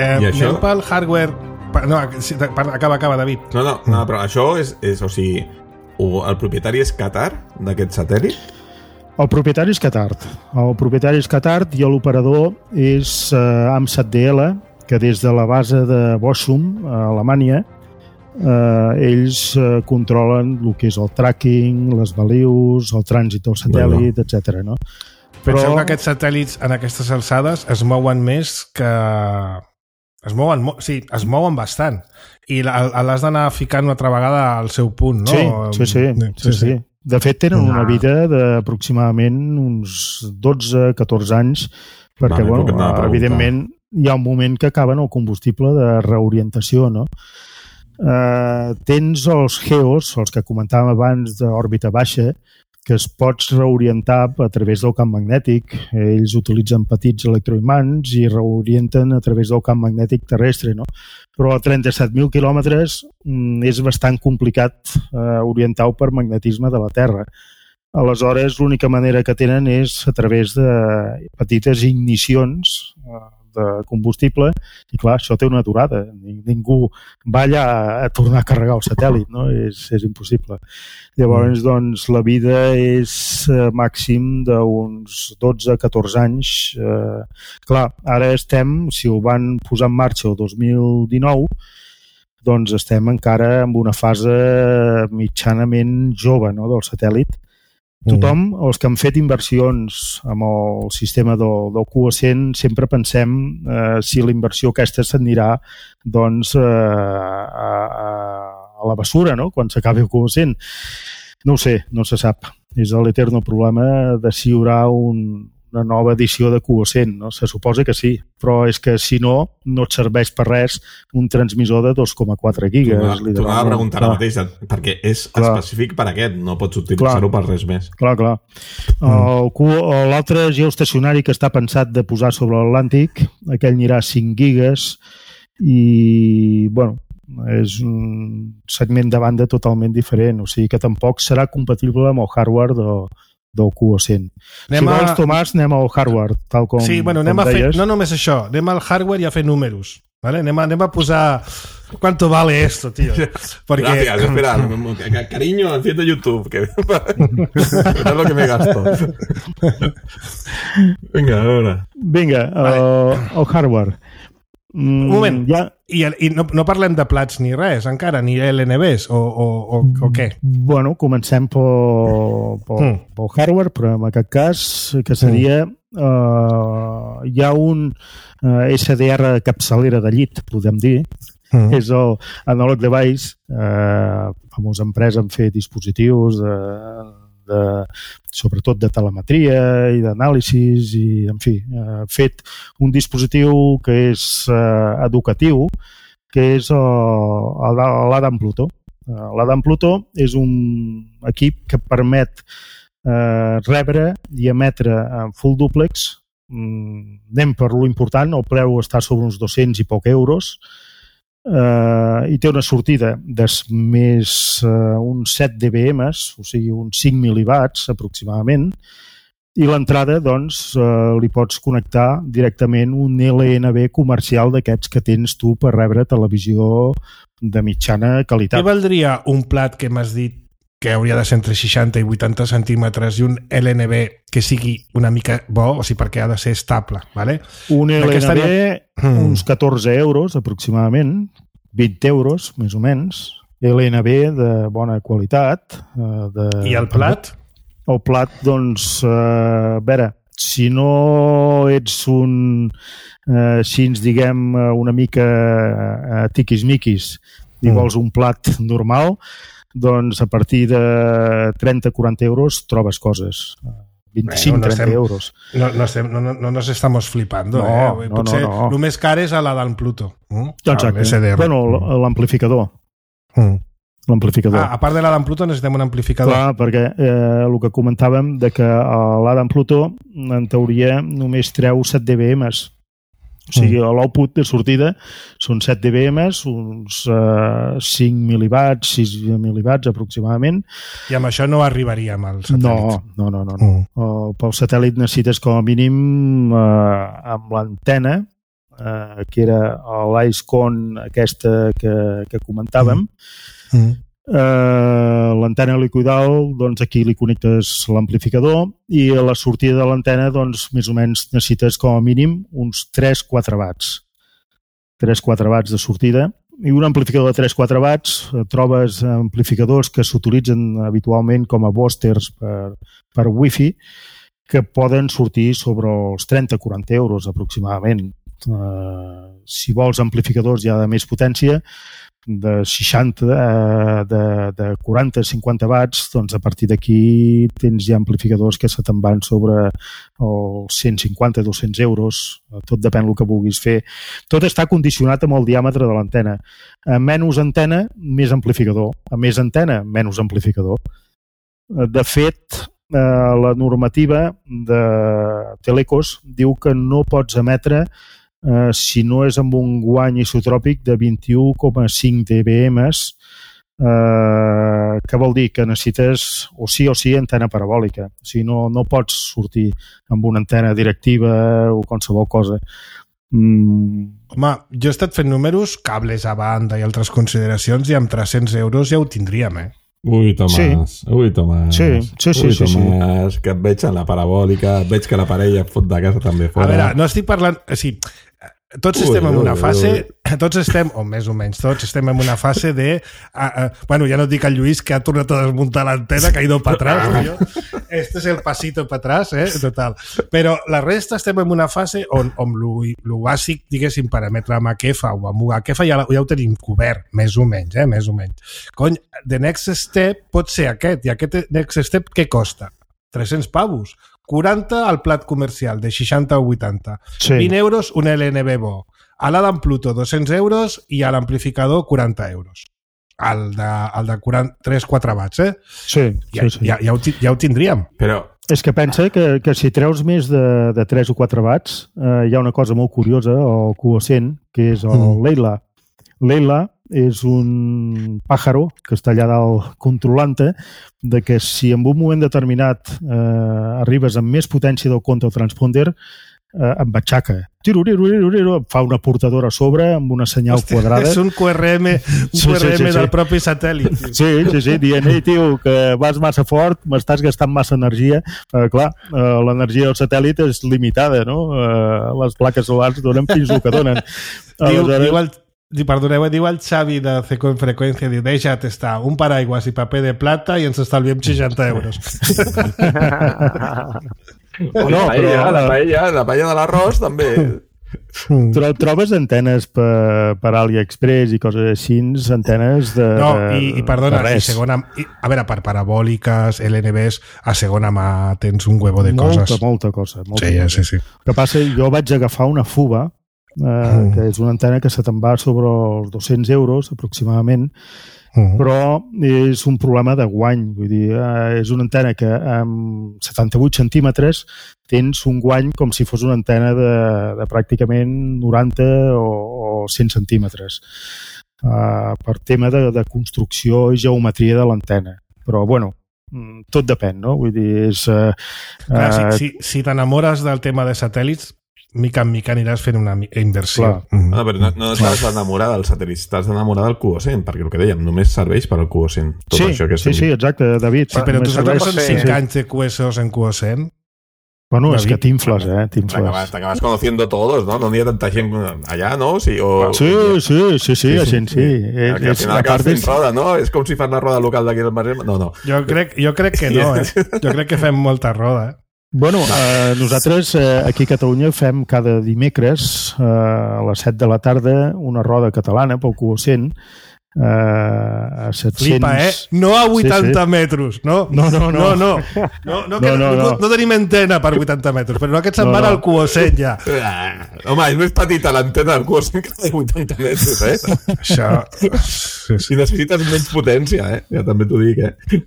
Eh, això... Anem pel hardware... No, acaba, acaba, David. No, no, no, però això és, és o sigui, el propietari és Qatar d'aquest satèl·lit? El propietari és Qatar. El propietari és Qatar i l'operador és eh, AMSAT D L, que des de la base de Bochum, a Alemanya, eh, ells eh, controlen el que és el tracking, les balius, el trànsit del satèl·lit, bueno. etcètera. No? Penseu Però... que aquests satèl·lits en aquestes alçades es mouen més que... Es mouen, sí, es mouen bastant. I l'has d'anar ficant una altra vegada al seu punt, no? Sí, sí, sí. sí, sí, sí. De fet, tenen una vida d'aproximadament uns dotze a catorze anys, perquè, no, bueno, no evidentment, hi ha un moment que acaben el combustible de reorientació, no? Uh, tens els GEOs, els que comentàvem abans d'òrbita baixa, que es pots reorientar a través del camp magnètic. Ells utilitzen petits electroimants i reorienten a través del camp magnètic terrestre, no? Però a trenta-set mil quilòmetres és bastant complicat eh, orientar-ho per magnetisme de la Terra. Aleshores, l'única manera que tenen és a través de petites ignicions eh, de combustible, i clar, això té una aturada. Ningú va allà a tornar a carregar el satèl·lit, no? És, és impossible. Llavors, mm. doncs, la vida és eh, màxim d'uns dotze a catorze anys. Eh, clar, ara estem, si ho van posar en marxa el dos mil dinou, doncs estem encara en una fase mitjanament jove, no?, del satèl·lit. Tothom, els que han fet inversions amb el sistema del, del Q A cent, sempre pensem eh, si la inversió aquesta s'anirà doncs, eh, a, a, a la bessura, no?, quan s'acabi el Q A cent. No ho sé, no se sap. És l'eterno problema de si hi haurà un, una nova edició de Q A cent, no? Se suposa que sí, però és que si no, no et serveix per res un transmissor de dos coma quatre gigas. T'ho anava a preguntar ara mateix, perquè és clar. Específic per aquest, no pots utilitzar-ho per res més. Clar, clar. Mm. L'altre geoestacionari que està pensat de posar sobre l'Atlàntic, aquell anirà a cinc gigas i, bueno, és un segment de banda totalment diferent, o sigui que tampoc serà compatible amb el hardware de del Q A cent. Anem si vols, a... Tomàs, anem al hardware, tal com, sí, bueno, anem com a fer, deies. No només això, anem al hardware i a fer números. ¿Vale? Anem, a, anem a posar... ¿Cuánto vale esto, tío? Porque... Gracias, espera. Cariño, enciende YouTube, que es lo que me gasto. Vinga, a veure. Vinga, vale. el, el hardware. Mm, un moment, ja... i, i no, no parlem de plats ni res encara, ni L N Bs o, o, o, o què? Bueno, comencem pel, pel, mm. pel hardware, però en aquest cas que seria mm. uh, hi ha un uh, S D R capçalera de llit, podem dir, mm. és el Analog Device, uh, famosa empresa en fer dispositius de De, sobretot de telemetria i d'anàlisis i, en fi, ha fet un dispositiu que és eh, educatiu, que és eh, l'Adam Pluto. Eh, L'Adam Pluto és un equip que permet eh, rebre i emetre en full duplex. Mm, anem per lo important, el preu està sobre uns dos-cents i poc euros, Uh, i té una sortida de més uh, uns set dBms, o sigui uns cinc mil·liwatts aproximadament, i l'entrada doncs uh, li pots connectar directament un L N B comercial d'aquests que tens tu per rebre televisió de mitjana qualitat. Què valdria un plat que m'has dit que hauria de ser entre seixanta i vuitanta centímetres i un L N B que sigui una mica bo, o sigui, perquè ha de ser estable, ¿vale? Un L N B, mm. uns catorze euros aproximadament, vint euros, més o menys. L N B de bona qualitat. De... I el plat? El plat, doncs, a veure, si no ets un, eh, si ens diguem una mica eh, tiquis-miquis i mm. vols un plat normal, doncs a partir de trenta a quaranta euros trobes coses. vint-i-cinc a trenta bueno, no euros. No, no, estem, no, no nos estamos flipando. No, eh? no, Potser no, no. el més car és a la d'en Pluto. Mm? Exacte. Ah, bueno, l'amplificador. Mm. L'amplificador. Ah, a part de l'Adam Pluto necessitem un amplificador. Clar, perquè eh, el que comentàvem de que l'Adam Pluto en teoria només treu set dBms. O sigui, mm. l'output de sortida són set dBms, uns uh, cinc mil·liwatts, sis mil·liwatts aproximadament. I amb això no arribaríem al satèl·lit. No, no, no. no, no. Mm. Uh, pel satèl·lit necessites com a mínim uh, amb l'antena, uh, que era l'IceCon aquesta que, que comentàvem. Mm. Mm. Uh, l'antena liquidal, doncs aquí li connectes l'amplificador i a la sortida de l'antena doncs més o menys necessites com a mínim uns tres a quatre watts tres a quatre watts de sortida, i un amplificador de tres a quatre watts trobes amplificadors que s'utilitzen habitualment com a boosters per, per wifi que poden sortir sobre els trenta a quaranta euros aproximadament. Uh, si vols amplificadors ja de més potència, de seixanta, de, de quaranta a cinquanta watts, doncs a partir d'aquí tens ja amplificadors que se te'n van sobre els cent cinquanta a dos-cents euros, tot depèn del que vulguis fer. Tot està condicionat amb el diàmetre de l'antena. A menys antena, més amplificador. A més antena, menys amplificador. De fet, la normativa de Telecos diu que no pots emetre Uh, si no és amb un guany isotròpic de vint-i-u coma cinc dBms, uh, que vol dir que necessites o sí o sí antena parabòlica. O sigui, no, no pots sortir amb una antena directiva o qualsevol cosa. Mm. Home, jo he estat fent números, cables a banda i altres consideracions, i amb tres-cents euros ja ho tindríem, eh? Ui, Tomàs, sí. ui, Tomàs. Sí, sí, sí. Ui, sí, Tomàs, sí. Que et veig en la parabòlica, et veig que la parella et fot de casa també fora. A veure, no estic parlant... O sigui, tots estem en una fase, tots estem, o més o menys, tots estem en una fase de, uh, uh, bueno, ja no dic al Lluís que ha tornat a desmuntar l'antena, que ha ido para atrás, yo. Este és el pasito para atrás, eh, total. Però la resta estem en una fase on, on lo, lo bàsic, diguéssim, per emetre amb Akefa o amb Akefa ja, ja ho tenim cobert, més o menys, eh, més o menys. Cony, the next step pot ser aquest, i aquest next step què costa? tres-cents pavos. quaranta al plat comercial, de seixanta o vuitanta. Sí. vint euros un L N B bo. A l'Adam Pluto, dos-cents euros, i a l'amplificador, quaranta euros. El de, el de tres quatre watts, eh? Sí, ja, sí, sí. Ja, ja, ho, ja ho tindríem. Però... És que pensa que, que si treus més de, de tres o quatre watts, eh, hi ha una cosa molt curiosa, o coocent, que és el mm. Leila. Leila és un pàjaro que està allà dalt controlant-te, de que si en un moment determinat eh, arribes amb més potència del compte o transponder, eh, em batxaca. Tiruriruriruriru, fa una portadora a sobre amb una senyal Hòstia, quadrada. És un Q R M, un sí, Q R M sí, sí, del sí. propi satèl·lit. Sí, sí, sí, dient, ei, tio, que vas massa fort, m'estàs gastant massa energia. Eh, clar, eh, l'energia del satèl·lit és limitada, no? Eh, les plaques solars donen fins el que donen. Diu, Aleshores... diu el... Perdoneu, diu el Xavi de Ceco en freqüència, diu, deixa't estar, un paraigües i paper de plata i ens estalviem seixanta euros. no, la paella, però... la paella, la paella de l'arròs també. Tro trobes antenes per, per AliExpress i coses així, antenes de No, i, i perdona, de i segona, i, a veure, per parabòliques, L N Bs, a segona mà tens un huevo de molta, coses. Molta, molta cosa. Molta sí, cosa. sí, sí. El que passa, jo vaig agafar una Fuba, eh, mm. que és una antena que se te'n va sobre els dos-cents euros, aproximadament, mm. però és un problema de guany. Vull dir, eh, és una antena que amb setanta-vuit centímetres tens un guany com si fos una antena de, de pràcticament noranta o, o cent centímetres, uh, per tema de, de construcció i geometria de l'antena. Però, bueno, tot depèn, no? Vull dir, és... Uh, Clar, uh, si si, si t'enamores del tema de satèl·lits, mica en mica aniràs fent una inversió. Mm. No, però no, no estàs enamorat dels satèl·lits, estàs enamorat del Cuocent, perquè el que dèiem, només serveix per al Cuocent. Tot sí, això que sí, sí, exacte, David. Sí, però tu saps que són cinc sí. anys de Q S Os en Cuocent? Bueno, David, és que t'infles, eh? T'acabas, t'acabas conociendo todos, ¿no? No n'hi ha tanta gent allà, ¿no? Sí, o... sí, sí, sí, sí, la gent sí. És, al final acabes fent roda, no? És com si fas la roda local d'aquí del Maresme. No, no. Jo crec, jo crec que no, eh? Jo crec que fem molta roda, eh? Bueno, eh, nosaltres eh, aquí a Catalunya fem cada dimecres eh, a les set de la tarda una roda catalana pel Cuocent eh, a set-cents... Flipa, eh? No a vuitanta sí, sí. metres, no? No, no, no. No, no, no, no, que no, no, no, no. no tenim antena per vuitanta metres, però no, aquest se'n No, van no. al Cuocent ja. Ah, home, és més petita l'antena del Cuocent que de vuitanta metres, eh? Això... Sí, sí. I necessites menys potència, eh? Ja també t'ho dic, eh?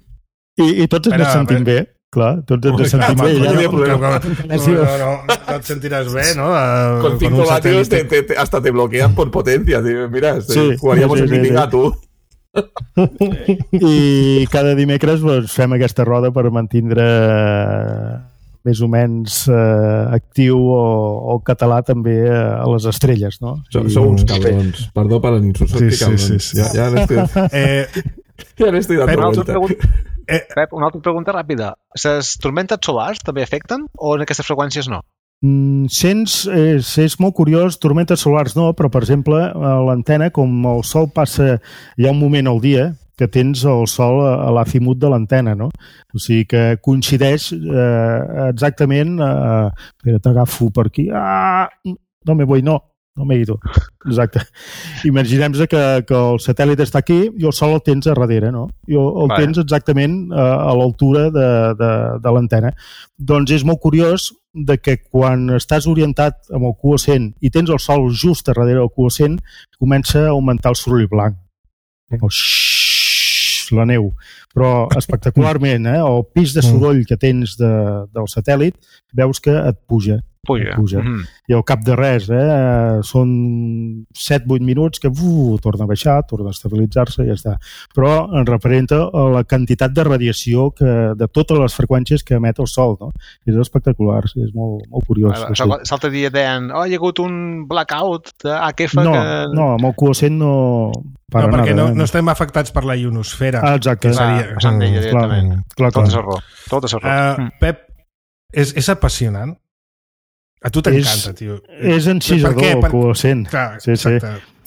I, i tots ens Però, sentim bé, clar, tots ens sentim bé. No, Ja, no, no, no, no, no, no et sentiràs bé, ¿no? Uh, Con cinco vatios te, te, te, hasta te bloquean por potencia. Tío. Mira, este, Sí, jugaríamos sí, en sí, Minigato. I cada dimecres doncs, fem aquesta roda per mantindre més o menys eh, actiu o, o català també a les estrelles, no? Sou, sou uns cabrons. Perdó per l'insult, Sí, sí, sí, cabrons. sí, sí. Ja, ja n'estic Eh, ja n'estic dando Una altra vuelta. pregunta, eh, Pep, una altra pregunta ràpida. Les tormentes solars també afecten o en aquestes freqüències no? Mm, sents, és, és molt curiós, tormentes solars no, però per exemple a l'antena, com el sol passa, hi ha un moment al dia que tens el sol a, a l'azimut de l'antena, no? O sigui que coincideix eh, exactament, eh, espera, t'agafo per aquí, ah, no me voy, no, no me he ido, exacte. Imaginem que, que el satèl·lit està aquí i el sol el tens a darrere, no? I el, el Vale. tens exactament eh, a l'altura de, de, de l'antena. Doncs és molt curiós de que quan estàs orientat amb el Cuocent i tens el sol just a darrere del Cuocent, comença a augmentar el soroll blanc. El xxxt, la neu. Però espectacularment, eh? El pis de soroll que tens de, del satèl·lit veus que et puja. Puja. Puja. Mm -hmm. I al cap de res, eh? Són set vuit minuts que uf, torna a baixar, torna a estabilitzar-se i ja està. Però en referenta a la quantitat de radiació que, de totes les freqüències que emet el sol, no? És espectacular, sí, és molt, molt curiós. Ah, Sí. L'altre dia deien, oh, hi ha hagut un blackout d'A Q F No, que... no, amb el Cuocent no... Para no, perquè nada, no, eh? no estem afectats per la ionosfera. Ah, exacte. Que seria... Ah, passant d'ella directament. Clar, Tot és clar. error. Tot és error. Uh, Pep, és, és apassionant. A tu t'encanta, tio. És encisador, el Q-Cent. Clar, sí, sí.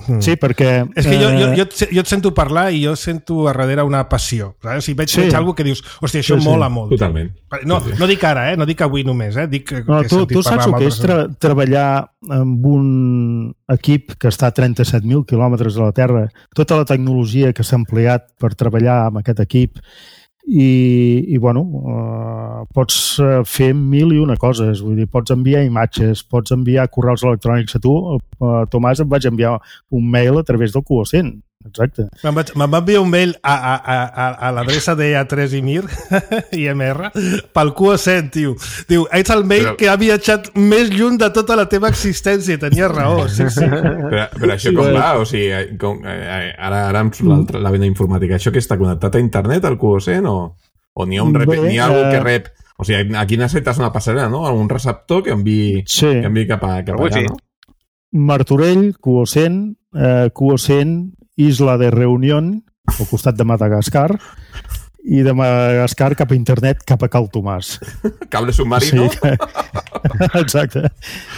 Mm. Sí, perquè... És que jo, jo, jo, jo et sento parlar i jo sento a darrere una passió. O sigui, veig, sí. veig alguna que dius, hòstia, això sí, sí. mola molt. Totalment. No, sí, sí. no dic ara, eh? No dic avui només, eh? Dic que, no, que tu, tu saps el que és tra treballar amb un equip que està a trenta-set mil quilòmetres de la Terra, tota la tecnologia que s'ha empleat per treballar amb aquest equip i, i bueno, uh, pots fer mil i una coses, vull dir, pots enviar imatges, pots enviar correus electrònics a tu, uh, Tomàs, em vaig enviar un mail a través del Q-Cent, exacte. Me'n va enviar un mail a, a, a, a l'adreça de A tres i Mir i M R pel Q-Cent, tio. Diu, ets el mail Però... que ha viatjat més lluny de tota la teva existència, i tenia raó, sí, sí. Però, però això sí, com va? O sigui, com, eh, ara, ara em surt la vena informàtica. Això que està connectat a internet, al Q-Cent, o, o n'hi ha, un rep... Bé, ha algú uh... que rep... O sigui, aquí necessites una passarel·la, no? Un receptor que enviï, sí. que enviï cap, a, cap allà, no? Martorell, Q-Cent, eh, Q-Cent, Isla de Reunión, al costat de Madagascar, i de Madagascar cap a internet, cap a Cal Tomàs. Cable submarino? Sí. Exacte.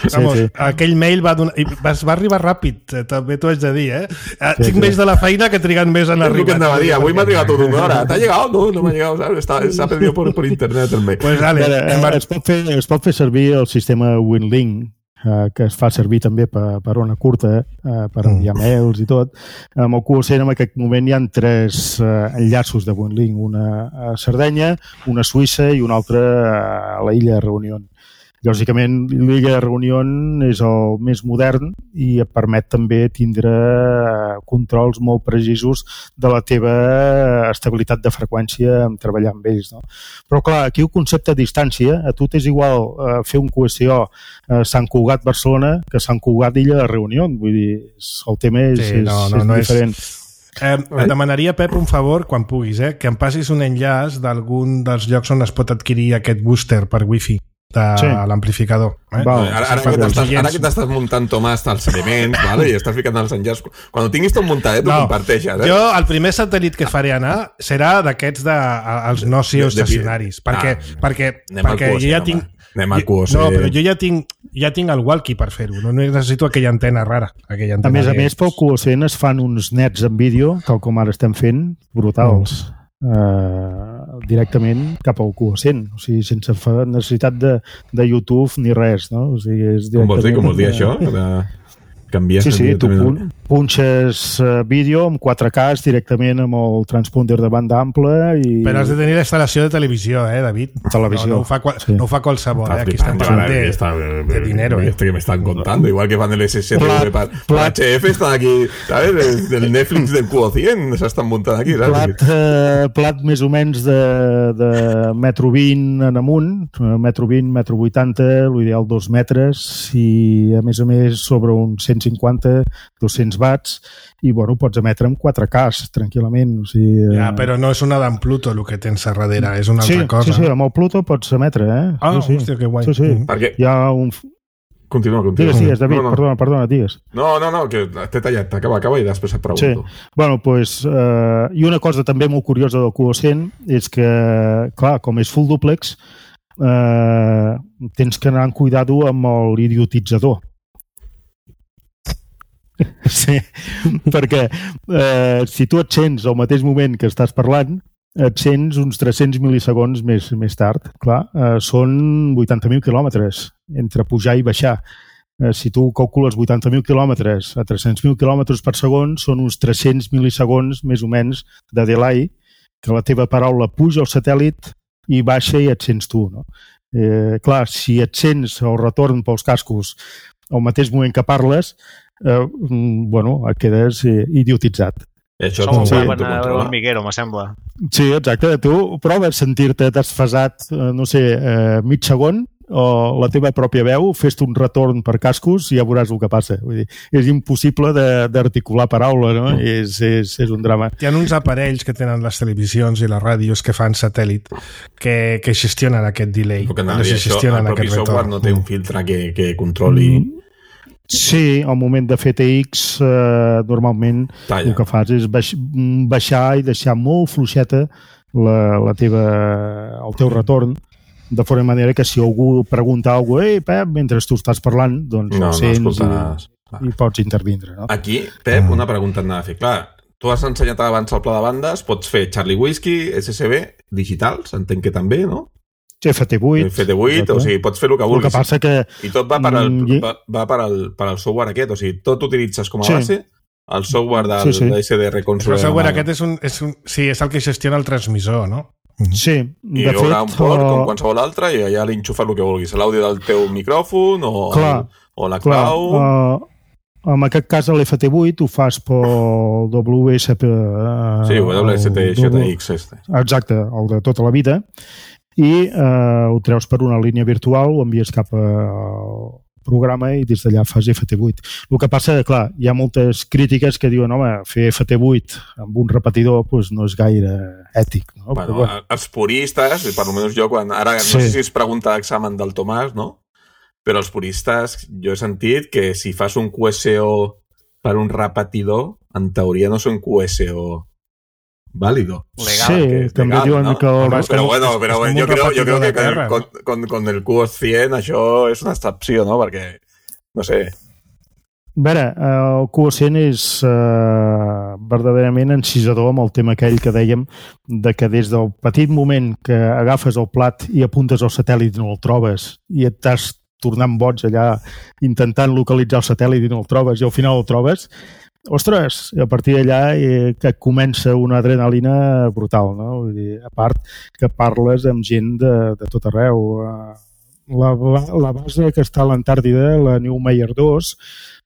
Sí, Vamos, sí. Aquell mail va, donar, va, va arribar ràpid, també t'ho haig de dir, eh? Sí, Tinc sí. més de la feina que triguen més en arribar. És el que anava a dir, avui m'ha trigat tot una hora. T'ha llegat? No, no m'ha llegat. S'ha pedido por, por internet el mail. Pues dale, Veure, es, pot fer, es pot fer servir el sistema WinLink, Uh, que es fa servir també per, per ona curta, uh, per enviar mm. mails i tot. Amb el Q-Cent en aquest moment hi ha tres uh, enllaços de WinLink, una a Sardenya, una a Suïssa i una altra a la illa de Reunió. Lògicament, l'illa de Reunió és el més modern i et permet també tindre controls molt precisos de la teva estabilitat de freqüència en treballar amb ells. No? Però clar, aquí el concepte de distància, a tu t'és igual eh, fer un Q S O a Sant Cugat, Barcelona, que Sant Cugat, illa de Reunió. Vull dir, el tema és, sí, no, no, és, és no diferent. És... Eh, et demanaria, Pep, un favor, quan puguis, eh, que em passis un enllaç d'algun dels llocs on es pot adquirir aquest booster per wifi de sí. l'amplificador. Eh? Va, ara, ara, que t'estàs, ara que t'estàs muntant, Tomàs, els elements, vale? I estàs ficant els enllaços. Quan ho tinguis tot muntat, tu no, comparteixes. Eh? Jo, el primer satèl·lit que faré anar serà d'aquests dels no geoestacionaris. Perquè, ah, perquè, perquè jo ja tinc... Anem al Q-Cent. No, però jo ja tinc, ja tinc el walkie per fer-ho. No necessito aquella antena rara. Aquella antena a més a més, pel Q-Cent es fan uns nets en vídeo, tal com ara estem fent, brutals. Mm. Uh, directament cap al Q-Cent, o sigui, sense necessitat de, de YouTube ni res, no? O sigui, és com vols dir, com vols dir això? De... Canvies sí, sí, tu pun punxes uh, vídeo amb quatre K directament amb el transponder de banda ampla i... Però has de tenir la instal·lació de televisió, eh, David? Televisió. No, no, ho, fa sí. no ho fa qualsevol, eh? Aquí estem parlant de, está, de dinero, eh? Esto que me están contando, igual que van del S S T V para pa H F, están aquí, ¿sabes? Del Netflix del Q-Cent, s'estan muntant aquí, ¿sabes? Plat, uh, plat més o menys de, de metro vint en amunt, metro vint, metro vuitanta, l'ideal dos metres, i a més a més sobre uns cent cinquanta, dos-cents watts, i bueno, pots emetre amb quatre K tranquil·lament. O sigui, ja, però no és una d'en Pluto el que tens a darrere, és una sí, altra cosa. Sí, sí, amb el Pluto pots emetre, eh? Ah, sí, sí. hòstia, que guai. Sí, sí. Perquè... Hi ha un... Continua, continua. Digues, digues, David, no, no. perdona, perdona, digues. No, no, no, que t'he tallat, acaba, acaba i després et pregunto. Sí. Bueno, pues, eh, i una cosa també molt curiosa del Q-Cent és que, clar, com és full duplex, eh, tens que anar amb cuidado amb l'idiotitzador. Sí, perquè eh, si tu et sents al mateix moment que estàs parlant, et sents uns tres-cents mil·lisegons més, més tard. Clar, eh, són vuitanta mil quilòmetres entre pujar i baixar. Eh, si tu calcules vuitanta mil quilòmetres a tres-cents mil quilòmetres per segon, són uns tres-cents mil·lisegons més o menys de delay, que la teva paraula puja al satèl·lit i baixa i et sents tu. No? Eh, clar, si et sents el retorn pels cascos al mateix moment que parles, eh, bueno, quedes eh, idiotitzat. Això ho veuen a l'hormiguero, me sembla. Sí, exacte. Tu proves sentir-te desfasat, eh, no sé, eh, mig segon, o la teva pròpia veu, fes-te un retorn per cascos i ja veuràs el que passa. Vull dir, és impossible d'articular paraula, no? Mm. És, és, és un drama. Hi ha uns aparells que tenen les televisions i les ràdios que fan satèl·lit que, que gestionen aquest delay. Perquè no, això, el propi software no té un filtre que, que controli... Mm. Sí, al moment de fer T X eh, normalment Talla. El que fas és baix, baixar i deixar molt fluixeta la, la teva, el teu retorn de forma manera que si algú pregunta alguna cosa, ei, Pep, mentre tu estàs parlant, doncs no, sents no i, i pots intervindre. No? Aquí, Pep, una pregunta et anava a fer. Clar, tu has ensenyat abans el pla de bandes, pots fer Charlie Whiskey, S S B, digitals, entenc que també, no? F T vuit. F T vuit, exacte. O sigui, pots fer el que vulguis. El que passa que... I tot va per al, va, va per al, per al software aquest, o sigui, tot utilitzes com a sí. base el software del, sí, sí. de S D R console. El software aquest és un, és un... Sí, és el que gestiona el transmissor, no? Sí, I hi haurà un port uh... com qualsevol altre i allà l'enxufes el que vulguis, l'àudio del teu micròfon o, clar, el, o la clau. Uh, en aquest cas l'F T vuit ho fas pel W S P... Uh, sí, W S T X este. Exacte, el de tota la vida. I eh, ho treus per una línia virtual, ho envies cap al programa i des d'allà fas F T vuit. El que passa, clar, hi ha moltes crítiques que diuen, home, fer F T vuit amb un repetidor pues, no és gaire ètic. No? Bueno, Però, bueno. Els puristes, per almenys jo, quan, ara no sí. sé si es pregunta l'examen del Tomàs, no? Però els puristes, jo he sentit que si fas un Q S O per un repetidor, en teoria no és un Q S O válido. Legal, sí, que també legal, diuen ¿no? que... Pero, pero bueno, pero bueno yo, creo, yo creo que con, con, con el Q O cent això és una excepció, no? Perquè, no sé... A veure, el Q O cent és eh, verdaderament encisador amb el tema aquell que dèiem de que des del petit moment que agafes el plat i apuntes el satèl·lit i no el trobes i et estàs tornant boig allà intentant localitzar el satèl·lit i no el trobes i al final el trobes, ostres, a partir d'allà eh, que comença una adrenalina brutal, no? Vull dir, a part que parles amb gent de, de tot arreu. La, la base que està a l'Antàrtida, la New Meyer dos,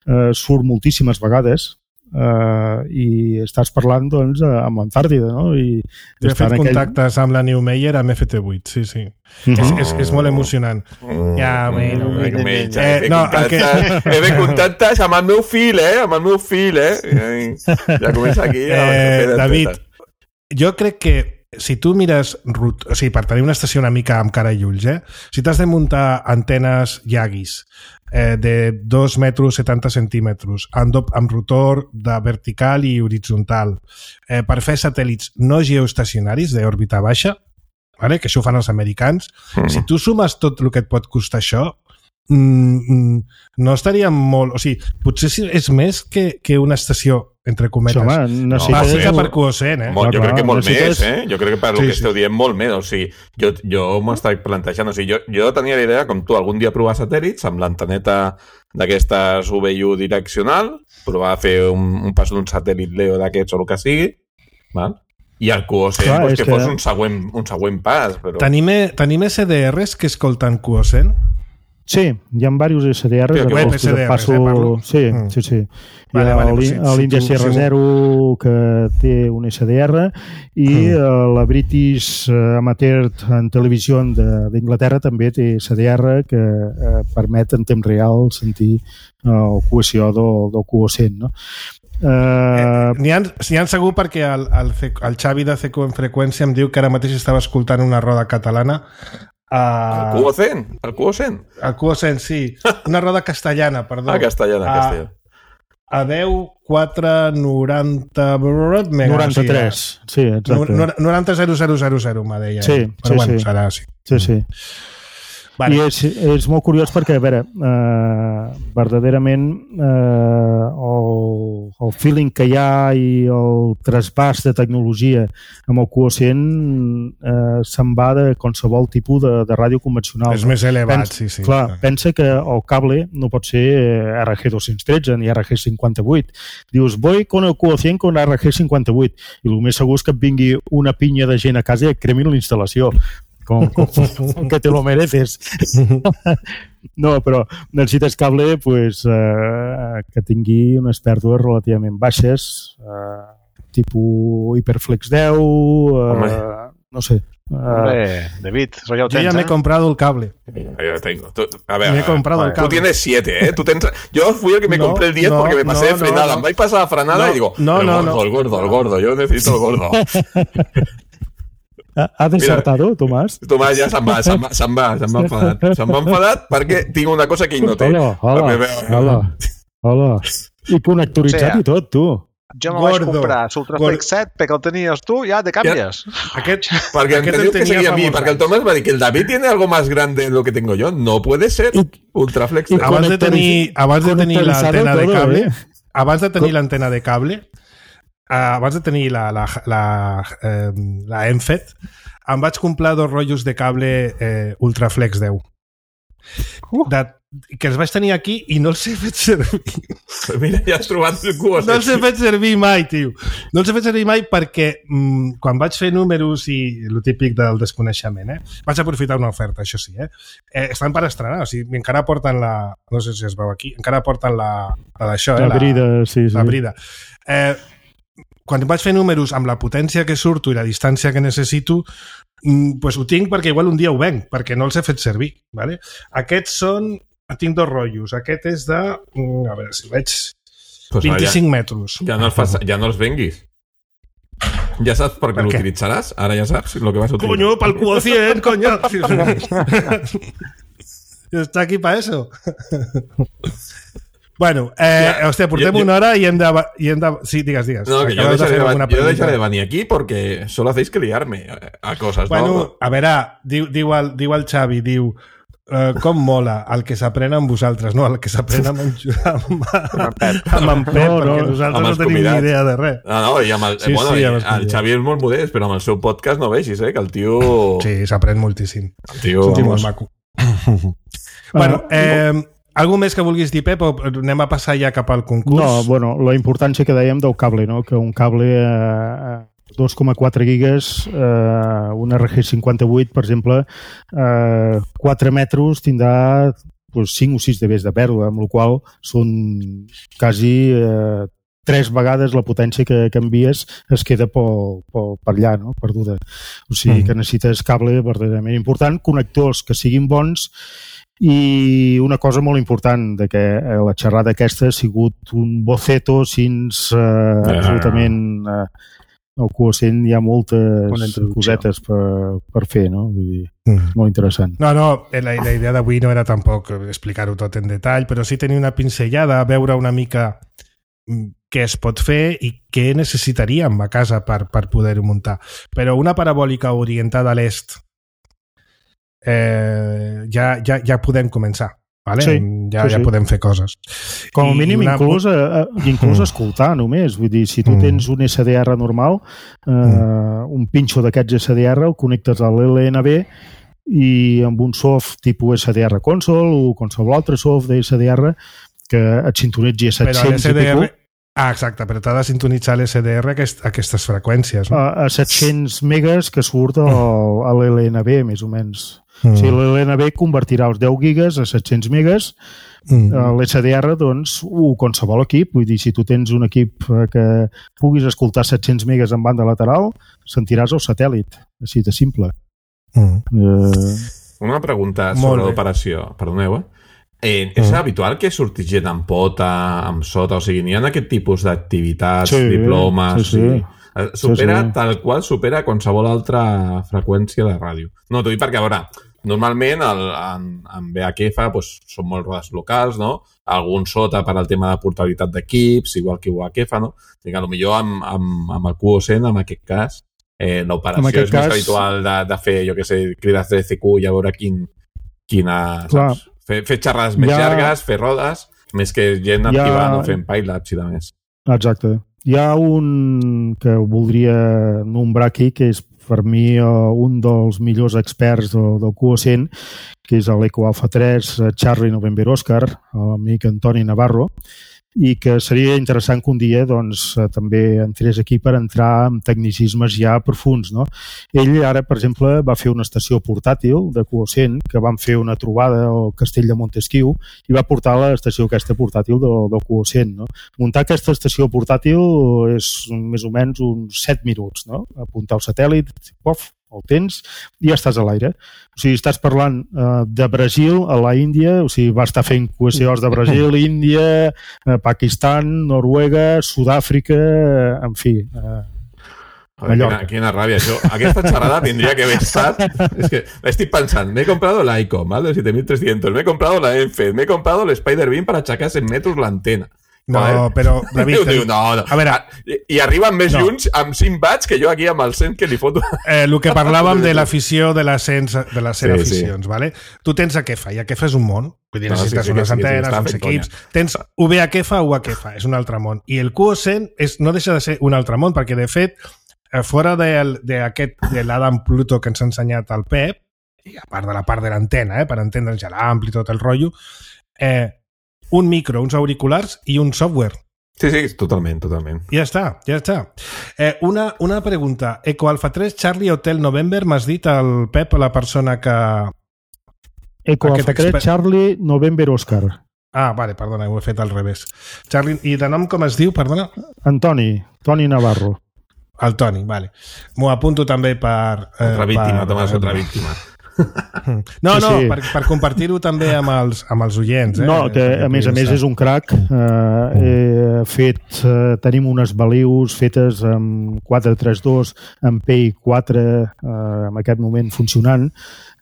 eh, surt moltíssimes vegades eh, i estàs parlant doncs, amb l'Antàrtida, no? I jo he fet aquell... contactes amb la New Meyer amb F T vuit, sí, sí. Mm -hmm. és, és, és molt emocionant. Mm. Ja, bueno, mm. bueno. Menja, eh, no, que... he fet contactes amb el meu fill, eh? Amb el meu fill, eh? Ja comença aquí. Eh, a David, jo crec que si tu mires, o sigui, per tenir una estació una mica amb cara i ulls, eh? Si t'has de muntar antenes Yagis eh, de dos metres setanta centímetres amb, amb rotor de vertical i horitzontal eh, per fer satèl·lits no geoestacionaris d'òrbita baixa, vale? Que això ho fan els americans, mm. si tu sumes tot el que et pot costar això, mm, no estaria molt... O sigui, potser és més que, que una estació entre cometes. Home, no, va ser per Q O cent, eh? Molt, jo crec que molt necessites... més, eh? Jo crec que per sí, el que esteu dient molt més. O sigui, jo, jo m'ho estic plantejant. O sigui, jo, jo tenia la idea, com tu, algun dia provar satèl·lits amb l'anteneta d'aquestes U V U direccional, provar a fer un, un pas d'un satèl·lit Leo d'aquests o el que sigui, val? I el Q O cent, clar, pues, que, que fos un següent, un següent pas. Però... Tenim, tenim S D Rs que escolten Q O cent? Sí, hi ha diversos S D Rs. Web S D Rs, passo... eh, parlo. Sí, mm. sí, sí. Vale, hi ha vale, si, l'Índia si C R zero que té un S D R i mm. la British Amateur en televisió d'Inglaterra també té S D R que eh, permet en temps real sentir el Q S O del, del Q O cent, no? Uh... Eh, N'hi ha, ha segur perquè el, el, el Xavi de C Q en freqüència em diu que ara mateix estava escoltant una roda catalana. Uh... El Q O cent? El Q O cent? El Q O cent, sí. Una roda castellana, perdó. Ah, castellana, a, castellana. A deu, quatre, noranta... noranta-tres, sí, exacte. noranta zero zero zero zero, me deia. Sí, però sí, bueno, sí. serà així. Sí, sí. Vale. I és, és molt curiós perquè, a veure, eh, verdaderament eh, el, el feeling que hi ha i el trasbàs de tecnologia amb el Q O cent eh, se'n va de qualsevol tipus de, de ràdio convencional. És més elevat, pensa, sí, sí. Clar, clar, pensa que el cable no pot ser R G dos-cents tretze ni R G cinquanta-vuit. Dius, voy con el Q O cent con R G cinquanta-vuit i el més segur és que et vingui una pinya de gent a casa i et cremi la instal·lació. Com, com, com que te lo mereces. No, però necessites cable pues, eh, que tingui unes pèrdues relativament baixes, eh, tipus Hyperflex deu, eh, no sé. Hombre, David, eso ya lo tens, yo ya me he ¿eh? comprado el cable. Yo tengo. Tú, a ver, me he comprado el cable. Tú tienes siete, ¿eh? Tú tens... Yo fui el que me no, compré el diez no, porque me pasé no, de frenada. No, no. Me vais a pasar a frenada no, y digo, no, el no, gordo, no. el gordo, el gordo. Yo necesito el gordo. Ha desertado, Tomàs? Tomàs ja se'n va, se'n va, se'n va, se'n va enfadat. Se'n va enfadat perquè tinc una cosa que ell no té. Hola, hola, hola, hola. I connectoritzat o sea, i tot, tu. Jo me vaig comprar l'Ultraflex set perquè el tenies tu, ja te canvies. Ja. Aquest, perquè aquest el que seguia a mi, perquè el Tomàs va dir que el David tiene algo más grande de lo que tengo yo. No puede ser Ultraflex set. Abans de tenir, abans de tenir l'antena de cable, abans de tenir l'antena de cable, abans de tenir la, la, la, eh, la ENFET, em vaig comprar dos rotllos de cable eh, Ultraflex deu. Uh. De, que els vaig tenir aquí i no els he fet servir. Mira, ja has trobat el cua. No els he fet servir mai, tio. No els he fet servir mai perquè mm, quan vaig fer números i el típic del desconeixement, eh, vaig aprofitar una oferta, això sí, eh? eh estan per estrenar, o sigui, encara porten la... No sé si es veu aquí, encara porten la... La d'això, eh? La brida, sí, sí. La brida. Eh, quan vaig fer números amb la potència que surto i la distància que necessito, pues ho tinc perquè igual un dia ho venc, perquè no els he fet servir. ¿Vale? Aquests són... Tinc dos rotllos. Aquest és de... A veure si veig... Pues vint-i-cinc ja, metres. Ja no, els fas, ja no els venguis. Ja saps per què per l'utilitzaràs? Ara ja saps el que vas a utilitzar. Coño, pel quocient, coño! Està aquí pa eso. Bueno, eh, ja, hòstia, portem jo, una hora i hem de... I hem de sí, digues, digues. No, que jo deixaré, de, jo deixaré de venir aquí porque solo hacéis que liarme a cosas, bueno, no? Bueno, a veure, diu, diu, el, diu el Xavi, diu, uh, com mola el que s'aprèn amb vosaltres, no, el que s'aprèn amb, amb, amb, amb en Pep, no, no, perquè nosaltres no tenim ni idea de res. No, no, i amb el, sí, bueno, sí, el, el Xavi és molt modest, però amb el seu podcast no vegis, eh, que el tio... Sí, s'aprèn moltíssim. El tio, és un tio molt maco. Bueno, eh... Algú més que vulguis dir, Pep, o anem a passar ja cap al concurs? No, bueno, la importància que dèiem del cable, no? Que un cable a eh, dos coma quatre gigas, eh, un R G cinquanta-vuit, per exemple, eh, quatre metres tindrà pues, cinc o sis dBs de pèrdua, amb la qual són quasi eh, tres vegades la potència que, que envies es queda per, per, per allà, no? Perduda. O sigui mm. que necessites cable verdaderament important, connectors que siguin bons. I una cosa molt important de que la xerrada aquesta ha sigut un boceto fins eh, yeah. absolutament eh, al quocient hi ha moltes cosetes per, per fer, no? Vull dir, mm. molt interessant. No, no, la, la idea d'avui no era tampoc explicar-ho tot en detall, però sí tenir una pinzellada, veure una mica què es pot fer i què necessitaríem a casa per, per poder-ho muntar. Però una parabòlica orientada a l'est Eh, ja, ja, ja podem començar, vale? Sí, ja, sí, ja sí. podem fer coses. Com a mínim, una... inclús, eh, inclús mm. escoltar només. Vull dir, si tu mm. tens un S D R normal, eh, mm. un pinxo d'aquests S D R, el connectes a l'L N B i amb un soft tipus S D R console o qualsevol altre soft de S D R que et sintonitzi a set-cents i pico. Ah, exacte, però t'ha de sintonitzar l'S D R aquest, aquestes freqüències. No? A, a set-cents megas que surt al, a l'L N B, més o menys. Mm. O sigui, l'L N B convertirà els deu gigas a set-cents megas. Mm. L'S D R, doncs, uh, qualsevol equip. Vull dir, si tu tens un equip que puguis escoltar set-cents megas en banda lateral, sentiràs el satèl·lit. Així de simple. Mm. Uh... Una pregunta sobre l'operació. Perdoneu, eh? Eh, és mm. habitual que surti gent amb pota, amb sota, o sigui, n'hi ha aquest tipus d'activitats, sí, diplomes... Sí, sí. O sigui, supera, sí, sí. tal qual supera qualsevol altra freqüència de ràdio. No, t'ho dic perquè, a veure, normalment el, en, en V H F pues, són molt rodes locals, no? Algun sota per al tema de portabilitat d'equips, igual que U H F, no? O sigui, potser amb, amb, amb el Q O C, en aquest cas, eh, l'operació és cas... més habitual de, de fer, jo què sé, crides de C Q i a veure quin, quina... Saps? Fer, fer xerrades més ja... llargues, fer rodes, més que gent activant ja... o fent pileups i de més. Exacte. Hi ha un que voldria nombrar aquí, que és per mi un dels millors experts del, del Q O C, que és l'Eco Alpha tres, Charlie November Oscar, l'amic Antoni Navarro, i que seria interessant que un dia doncs, també entrés aquí per entrar en tecnicismes ja profuns. No? Ell ara, per exemple, va fer una estació portàtil de Q O C, que van fer una trobada al castell de Montesquieu i va portar l'estació aquesta portàtil del, del Q O C. No? Muntar aquesta estació portàtil és més o menys uns set minuts. No? Apuntar el satèl·lit, pof, el tens i ja estàs a l'aire. O sigui, estàs parlant uh, de Brasil a la Índia, o sigui, va estar fent Q S Os de Brasil, Índia, uh, Pakistan, Noruega, Sud-àfrica, uh, en fi... Uh, Quina, quina ràbia, això. Aquesta xerrada tindria que haver estat... És que estic pensant, m'he comprado l'Icom, ¿vale? siete mil trescientos, m'he comprado la Enfed, m'he comprado l'Spider-Beam per aixecar cent metres l'antena. No, però, David... Diu, no, no. A veure... I, i arriben més no. junts amb cinc watts que jo aquí amb el cent que li foto. Eh, el que parlàvem de l'afició de les cent Sí, aficions, sí. vale? Tu tens Akefa, i Akefa és un món. Vull dir, No, necessites sí, sí, unes sí, sí, antenes, està uns fent equips... conya. Tens U V Akefa o Akefa, és un altre món. I el Q O cent és, no deixa de ser un altre món, perquè, de fet, eh, fora d'aquest de, de l'Adam Pluto que ens ha ensenyat el Pep, i a part de la part de l'antena, eh, per entendre'ns ja l'ampli i tot el rotllo, eh, un micro, uns auriculars i un software. Sí, sí, totalment, totalment. Ja està, ja està. Eh, una, una pregunta. Eco Alpha tres, Charlie Hotel November, m'has dit el Pep, la persona que... Eco Alpha tres, expert... Charlie November Oscar. Ah, vale, perdona, ho he fet al revés. Charlie, i de nom com es diu, perdona? Antoni, Toni Navarro. El Toni, vale. M'ho apunto també per... Eh, otra víctima, per, Tomàs, otra víctima. No, sí, no, sí. per, per compartir-ho també amb els, amb els oients. Eh? No, que a més a més és un crac. Eh, he fet, eh, tenim unes balius fetes amb quatre tres dos, amb P I quatre, eh, en aquest moment funcionant,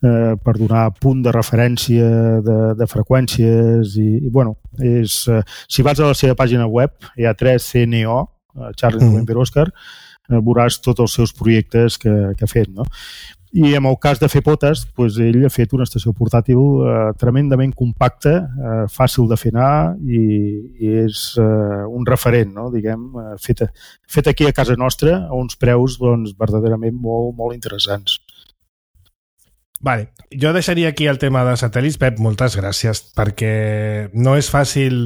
eh, per donar punt de referència de, de freqüències i, i bueno, és, eh, si vas a la seva pàgina web, hi ha tres C N O, eh, Charlie mm. November Oscar, eh, veuràs tots els seus projectes que, que ha fet, no? I en el cas de fer potes, doncs ell ha fet una estació portàtil eh, tremendament compacta, eh, fàcil de fer anar i, i és eh, un referent, no? Diguem, eh, fet, fet aquí a casa nostra a uns preus doncs, verdaderament molt, molt interessants. Vale, jo deixaria aquí el tema de satèl·lits. Pep, moltes gràcies, perquè no és fàcil,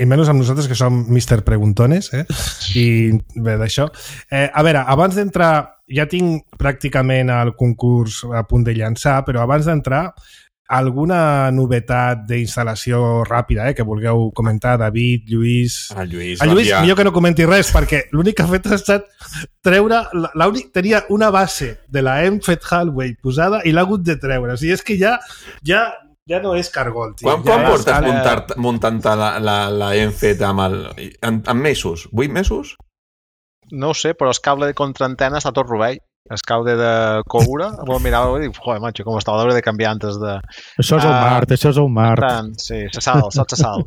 i menys amb nosaltres que som mister Preguntones, eh? I bé, d'això. Eh, a veure, abans d'entrar, ja tinc pràcticament el concurs a punt de llançar, però abans d'entrar, alguna novetat d'instal·lació ràpida, eh, que vulgueu comentar, David, Lluís... Ah, Lluís, el Lluís, millor que no comenti res, perquè l'únic que ha fet ha estat treure... L'únic, tenia una base de la Enfet Hallway posada i l'ha hagut de treure. O sigui, és que ja, ja, ja no és cargol, tio. Quan, ja quan portes és... muntant, muntant la, la, la Enfet amb el... En, en mesos? Vuit mesos? No ho sé, però el cable de contraantena està tot rovell. El cable de coure, vol mirar i dic, joder, macho, com està, l'hauré de canviar antes de... Això és el Mart, uh, això és el Mart. Tant, sí, se sal, sot se sal.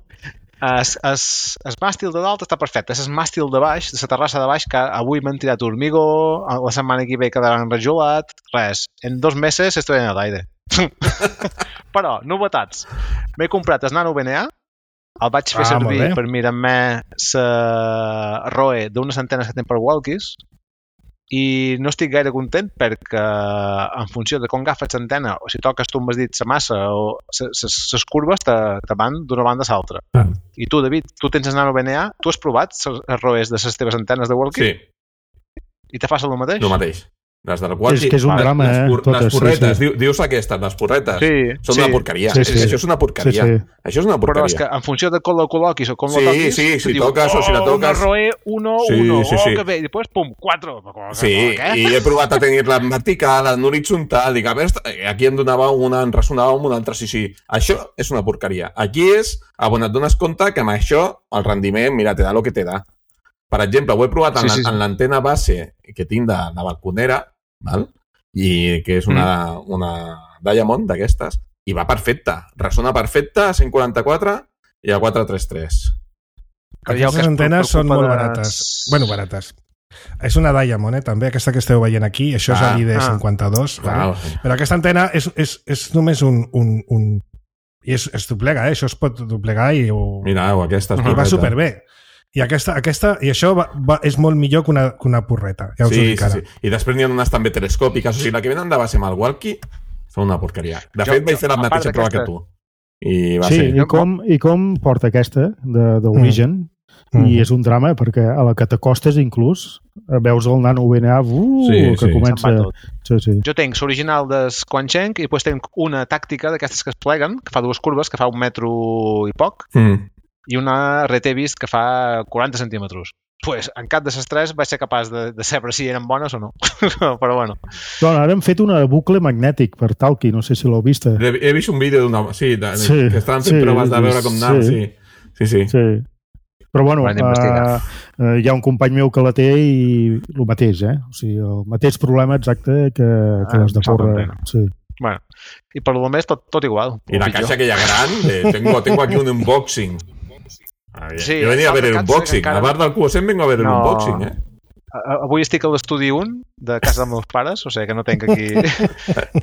Es, es, es màstil de dalt està perfecte, és el màstil de baix, de la terrassa de baix, que avui m'han tirat hormigó, la setmana que ve quedaran enrajolat, res, en dos mesos estoy en el aire. Però, novetats. M'he comprat el Nano B N A, el vaig fer ah, servir per mirar-me la R O E d'unes antenes que tenen per walkies, i no estic gaire content perquè en funció de com agafes l'antena o si toques tu amb el dit la massa o les curves te, te van d'una banda a l'altra. Ah. I tu, David, tu tens el Nano B N A, tu has provat les R O Es de les teves antenes de walkie? Sí. I te fas el mateix? El mateix. Les del walkie... És que és un drama, les, eh? Les, Totes, les porretes, sí, sí. Diu, dius aquestes, les porretes, sí, són sí. una porqueria. Sí, sí. Això és una porqueria. Sí, sí. Això és una porqueria. Però és que en funció de com la col·loquis o com sí, la toquis... Sí, sí, si diu, toques oh, o si la toques... una R O E, uno, sí, uno, sí, sí. oh, que bé, i després, pum, quatre. Sí, i he provat a tenir-la en vertical, en horitzontal, dic, a veure, aquí em donava una, em ressonava amb una altra, sí, sí. Això és una porqueria. Aquí és, on et dones compte que amb això el rendiment, mira, te da lo que te da. Per exemple, ho he provat en, sí, sí, sí. en l'antena base que tinc de, de balconera, val? I que és una, mm. una Diamond d'aquestes, i va perfecta. Ressona perfecta a cent quaranta-quatre i a quatre trenta tres. Aquestes antenes són molt barates. Bueno, barates. És una Diamond, eh, també, aquesta que esteu veient aquí. Això ah, és l'I D cinquanta-dos. Ah, vale? Sí. Però aquesta antena és, és, és només un... un, un... I es, es doblega, eh? Això es pot doblegar i... O... Mira, o aquesta és I va superbé. I aquesta, aquesta, i això va, va, és molt millor que una, que una porreta, ja us sí, ho dic ara. Sí, sí. I després n'hi ha unes també telescòpiques, o sigui, la que venen de base amb el walkie són una porqueria. De jo, fet, vaig fer la mateixa prova que tu. I va sí, ser... i com, i com porta aquesta d'origen, mm. i és un drama, perquè a la que t'acostes inclús, veus el Nano B N A uh, sí, que sí. comença... Sí, sí. Jo tenc l'original del Quancheng i després tenc una tàctica d'aquestes que es pleguen, que fa dues curves, que fa un metro i poc, mm. i una R T Vist que fa quaranta centímetres. Pues, en cap de les tres vaig ser capaç de, de saber si eren bones o no. Però bueno. Doncs ara hem fet una bucle magnètic per Talkie, no sé si l'heu vist. He, he vist un vídeo d'una... Sí, de, sí, que estaven fent sí, proves de veure com anava. Sí. Sí. Sí, sí. sí. Però bueno, uh, uh, hi ha un company meu que la té i el mateix, eh? O sigui, el mateix problema exacte que, que ah, les de porra. Sí. Bueno, i per lo més tot, tot igual. I la caixa aquella gran, de, tengo, tengo aquí un unboxing. Sí, jo venia a veure l'unboxing. encara... A part del Q cent vengo a veure no. l'unboxing, eh? Avui estic a l'estudi un de casa dels meus pares, o sigui que no tenc aquí...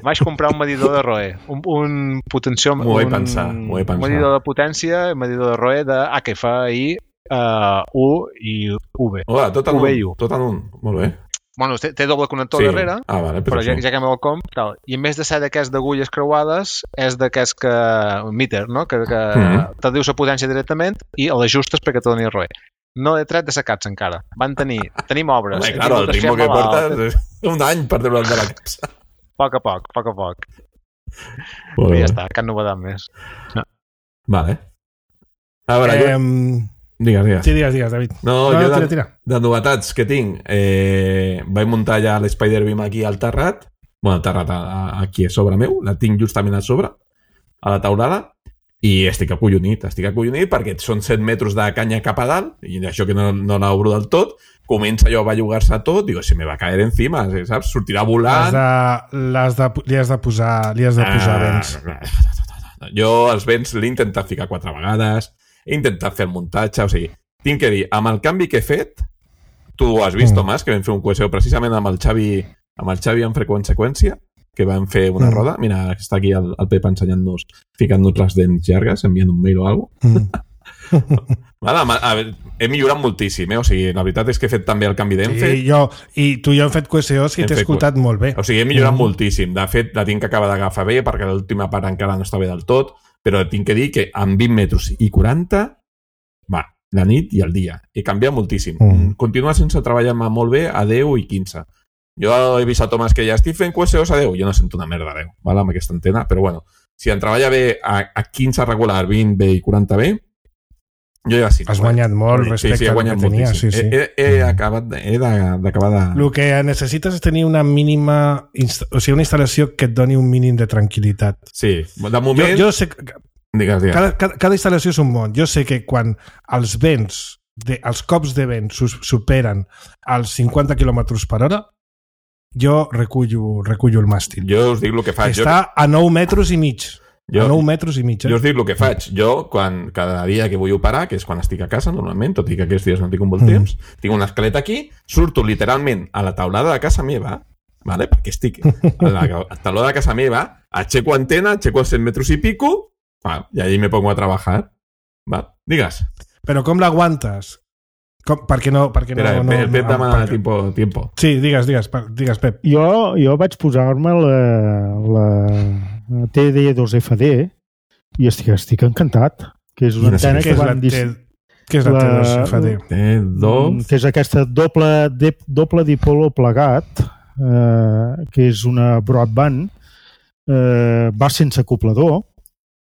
Vaig comprar un medidor de R O E, un, un potenció... M'ho he un, pensat, m'ho he pensat. Un medidor de potència, un medidor de R O E de H F I uh, U i V. Hola, tot en V un, tot en un, molt bé. Bueno, té, té doble connector sí. darrere, ah, vale, però ja, sí. ja que me'l comp, tal. I en més de ser d'aquests d'agulles creuades, és d'aquests que... un meter, no? Que, que mm-hmm. te dius la potència directament i l'ajustes perquè te doni R O E. No he tret de secats encara. Van tenir... Tenim obres. Home, claro, el ritme que portes és un any per treure'l de la capsa. A poc a poc, a poc a poc. Bueno, I ja està, cap novedat més. No. Vale. A veure, eh, jo... Digues, digues. Sí, digues, digues, David. No, no jo tira, de, tira. de novetats que tinc, eh, vaig muntar ja l'Spider-Beam aquí al terrat, bueno, al terrat a, a, aquí a sobre meu, la tinc justament a sobre, a la taulada, i estic acollonit, estic acollonit perquè són set metres de canya cap a dalt, i això que no, no l'obro del tot, comença allò a bellugar-se tot, digo, se me va caer encima, saps? Sortirà volant... L'has de, de, li has de posar, li has de posar ah, vents. Jo els vents l'he intentat ficar quatre vegades, he intentat fer el muntatge, o sigui, tinc que dir, amb el canvi que he fet, tu ho has vist, mm. Tomàs, que vam fer un coheseu precisament amb el Xavi, amb el Xavi en freqüència, que vam fer una mm. roda. Mira, està aquí el, el Pep ensenyant-nos, ficant-nos les dents llargues, enviant un mail o alguna cosa. Mm. Vale, a veure, he millorat moltíssim, eh? O sigui, la veritat és que he fet també el canvi d'enfe. Sí, jo, i tu i jo hem fet coheseus i t'he escoltat molt bé. O sigui, he millorat mm. moltíssim. De fet, la tinc que acabar d'agafar bé, perquè l'última part encara no està bé del tot, però tinc que dir que amb vint metres i quaranta, va, la nit i el dia. He canviat moltíssim. Mm. Continua sense treballar-me molt bé a deu i quinze. Jo he vist a Tomàs que ja estic fent coheseus a deu. Jo no sento una merda a deu, val? Amb aquesta antena, però bueno, si em treballa bé a, a quinze regular, vint bé i quaranta bé, jo ja sí. Has guanyat molt respecte sí, sí, al que tenia. Sí, sí. He, he, he acabat d'acabar de... El que necessites és tenir una mínima... O sigui, una instal·lació que et doni un mínim de tranquil·litat. Sí, de moment... Jo, jo sé... Digues, digues. Cada, cada, cada instal·lació és un món. Jo sé que quan els vents, de, els cops de vent superen els cinquanta quilòmetres per hora, jo recullo, recullo el màstil. Jo us dic el que faig. Està jo... a nou metres i mig. Jo, a nou metres i mig. Eh? Jo us dic el que faig. Jo, quan, cada dia que vull operar, que és quan estic a casa, normalment, tot i que aquests dies no tinc un bon temps, mm. tinc una escaleta aquí, surto literalment a la taulada de casa meva, vale? Perquè estic a la, a la taulada de casa meva, aixeco antena, aixeco els cent metres i pico, va, i allí me pongo a trabajar. Va, digues. Però com l'aguantes? Com, per què no... Per què Espera, no, no, el Pep no, demana perquè... tiempo, tiempo. Sí, digues, digues, digues Pep. Jo, jo vaig posar-me la, la T D dos F D i estic, estic encantat, que és una antena que van... Dis... Què és la T dos F D? T dos... Que és aquesta doble, de, doble dipolo plegat, eh, que és una broadband, eh, va sense acoplador.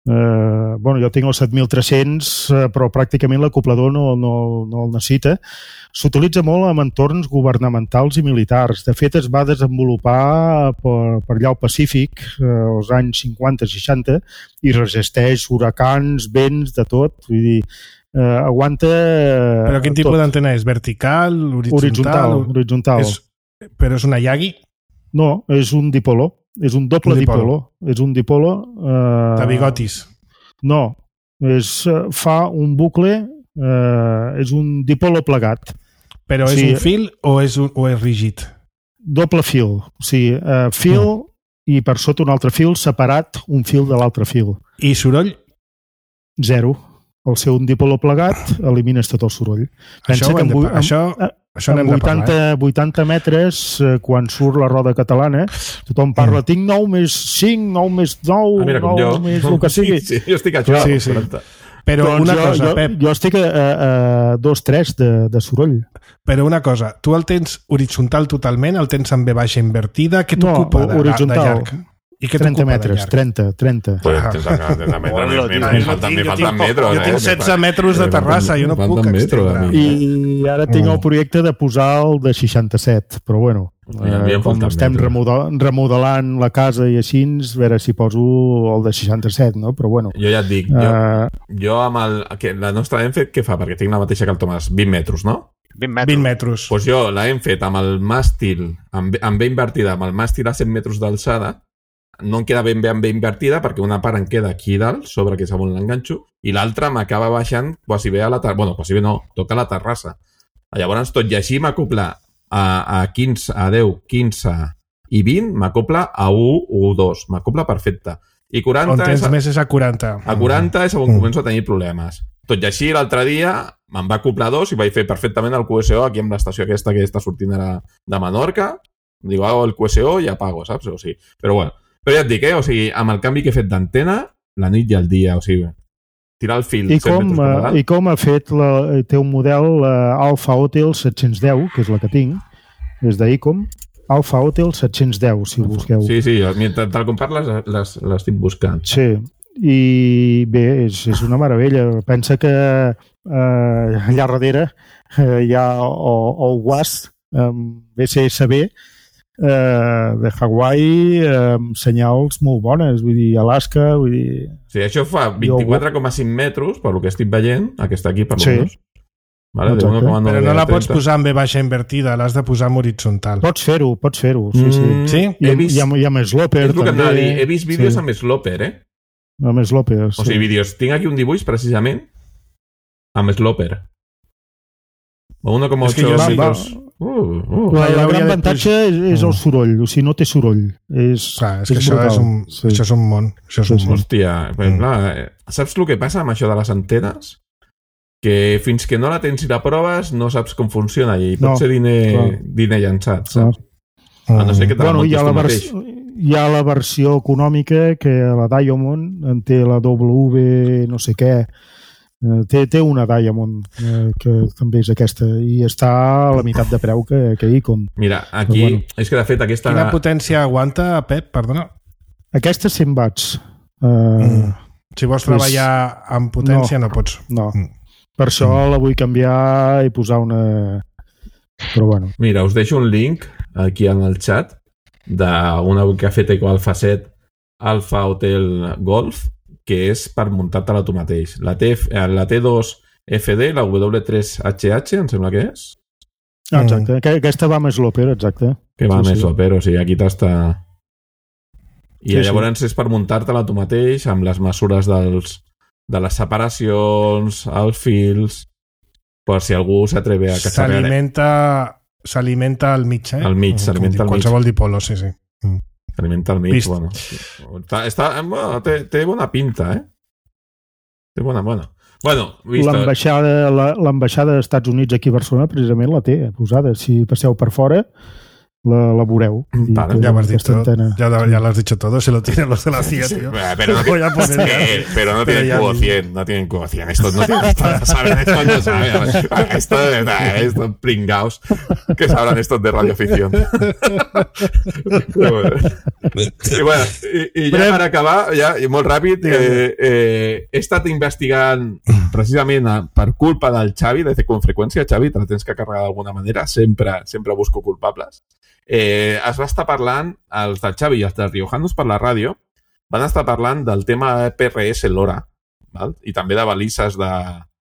Uh, bueno, jo tinc el set mil tres-cents, uh, però pràcticament l'acoplador no, no, no el necessita. S'utilitza molt en entorns governamentals i militars. De fet, es va desenvolupar per, per allà al Pacífic uh, als anys cinquanta seixanta i resisteix huracans, vents, de tot. Vull dir, uh, aguanta... Uh, però quin tipus d'antena és? Vertical? Horitzontal? Horitzontal. horitzontal. És, però és una Yagi? No, és un dipolo. És un doble un dipolo. dipolo. És un dipolo... Eh... De bigotis. No, és, fa un bucle, eh, és un dipolo plegat. Però és sí, un fil o és, un, o és rígid? Doble fil. O sigui, eh, fil mm. i per sota un altre fil separat un fil de l'altre fil. I soroll? Zero. Al ser un dipolo plegat elimines tot el soroll. Pensa això que amb, amb, això... Això amb vuitanta, parlar, eh? vuitanta metres, eh, quan surt la roda catalana, tothom parla, mm. tinc nou més cinc, nou més nou, ah, nou jo. més el que sigui. Sí, sí, jo estic a això. Sí, sí. Però doncs una jo, cosa, jo, Pep... Jo estic a, a, a dos tres de, de soroll. Però una cosa, tu el tens horitzontal totalment, el tens amb V baixa invertida, què t'ocupa no, de, de llarg? I què trenta metres, trenta, trenta. Pues, me falten metros. Jo tinc setze metres de terrassa, jo no puc extendre. I ara tinc el projecte de posar el de seixanta-set, però bueno, eh, com estem remodelant la casa i així, a veure si poso el de seixanta-set, no? Però bueno. Jo ja et dic, jo, jo amb el... Que la nostra hem fet, què fa? Perquè tinc la mateixa que el Tomàs, vint metres, no? vint metres. vint metres. Pues jo la hem fet amb el màstil, amb, amb B invertida, amb el màstil a cent metres d'alçada, no em queda ben, ben, ben invertida perquè una part em queda aquí dalt, sobre que és on l'enganxo, i l'altra m'acaba baixant quasi bé a la terrassa. Bueno, quasi bé no, toca la terrassa. Llavors, tot i així m'acopla a, a quinze, a deu, quinze i vint, m'acopla a u o dos. M'acopla perfecte. I quaranta... On tens és a, més és a quaranta. A quaranta és on mm. començo a tenir problemes. Tot i així, l'altre dia me'n va acoplar dos i vaig fer perfectament el Q S O aquí amb l'estació aquesta que està sortint ara de Menorca. Digo, hago el Q S O i apago, saps? O sigui, però bueno, però ja et dic, eh? O sigui, amb el canvi que he fet d'antena, la nit i el dia, o sigui, tirar el fil... I com, uh, i com ha fet, la, té un model uh, Alpha Hotel set-cents deu, que és la que tinc, és d'Icom, Alpha Hotel set-cents deu, si ho busqueu. Sí, sí, mentre tal com parles l'estic buscant. Sí, i bé, és, és una meravella. Pensa que uh, allà darrere uh, hi ha el W A S, um, B C S B, Uh, de Hawaii amb uh, senyals molt bones, vull dir, Alaska, vull dir... Sí, això fa vint-i-quatre coma cinc metres, per lo que estic veient, aquesta aquí per lo sí. menos. Vale, Però no la pots posar en V baixa invertida, l'has de posar en horitzontal. Pots fer-ho, pots fer-ho, sí, sí. Mm, sí? I, vist, hi, ha, hi ha més sloper, és també. Dir, he vist vídeos sí. amb sloper, eh? Amb sloper, sí. O sigui, vídeos. Tinc aquí un dibuix, precisament, amb sloper. un coma ocho metres... Uh, uh, la, la gran avantatge és, és el soroll, o sigui, no té soroll. És, clar, és que és això, és un, sí. això és un món. Això és un sí, món. Hòstia, mm. clar, saps el que passa amb això de les antenes? Que fins que no la tens i la proves no saps com funciona i pot no, ser diner, diner llançat, saps? Mm. A no ser que te la bueno, montis tu mateix. Hi ha la versió econòmica que la Diamond en té la W no sé què. Té, té una Diamond eh, que també és aquesta i està a la meitat de preu que, que Icom. Mira, aquí bueno. És que de fet aquesta... Quina potència aguanta, Pep? Perdona. Aquesta cent watts. Uh, mm. Si vols treballar pues, amb potència no, no pots. No, mm. per això mm. la vull canviar i posar una... Però bueno. Mira, us deixo un link aquí en el chat d'una que ha fet Ecoalfa set Alpha Hotel Golf que és per muntar-te-la tu mateix. La, T, la T dos F D, la W tres H H, em sembla que és. Ah, exacte, mm. aquesta va més l'Oper, exacte. Que va sí, més sí. l'Oper, o sigui, aquí t'està... I sí, llavors sí. és per muntar-te-la tu mateix amb les mesures dels, de les separacions, els fils, per si algú s'atreve a cacharrear. S'alimenta s'alimenta al mig, eh? Al mig, s'alimenta al mig. Qualsevol dipolo, sí, sí. Mm. S'alimenta al mig, Vist. Bueno. Està, està, bueno té, té bona pinta, eh? Té bona, bona. Bueno, l'ambaixada l'ambaixada dels Estats Units aquí a Barcelona precisament la té posada. Si passeu per fora la, la veureu. Vale, ya, has dicho, ya, ya lo has dicho todo, se lo tienen los de la C I A, tío. Pero no, tiene, poner, pero no tienen Q cien, no tienen Q cien. Estos no tienen, saben, estos no saben. Esto de verdad, estos pringaos que sabrán estos de radioficción. I, bueno, i, i ja per acabar, ja, i molt ràpid, eh, eh, he estat investigant precisament per culpa del Xavi, de con freqüència, Xavi, te la tens que carregar d'alguna manera, sempre, sempre busco culpables. Eh, es va estar parlant, els del Xavi i els dels riojanos per la ràdio van estar parlant del tema P R S LoRa, val? I també de balises de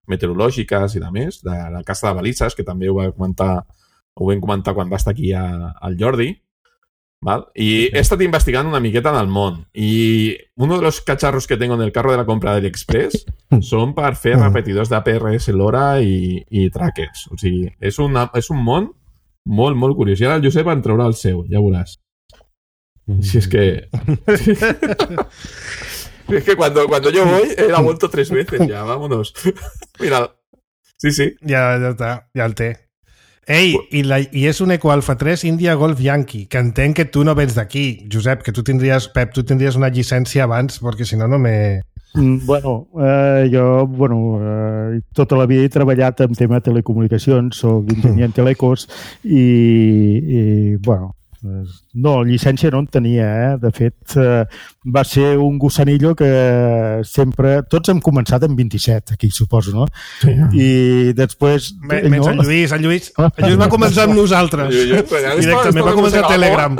meteorològiques i de més, de la casa de balises, que també ho va comentar, ho vam comentar quan va estar aquí a, al Jordi, val? I he estat investigant una miqueta en el món i uno de los cacharros que tengo en el carro de la compra del Express són per fer repetidors de P R S LoRa i, i trackers, o sigui, és, una, és un món molt, molt curiós. I ara el Josep en traurà el seu, ja veuràs. Si es que... es que cuando, cuando yo voy, él ha vuelto tres veces ya, vámonos. Mira, sí, sí. Ja, ja està, ja el té. Ei, i, la, i és un Ecoalfa tres India Golf Yankee, que entenc que tu no vens d'aquí, Josep, que tu tindries, Pep, tu tindries una llicència abans, perquè si no, no me... Bueno, eh, jo bueno, eh, tota la vida he treballat en tema de telecomunicacions, soc enginyer en telecos i, i bueno, no, llicència no en tenia, eh? De fet, eh, va ser un gossanillo que sempre... Tots hem començat amb vint-i-set, aquí suposo, no? Sí. I després... Menys no? el Lluís, el Lluís, el Lluís va començar amb nosaltres. Jo, jo, Directament va començar a Telegram.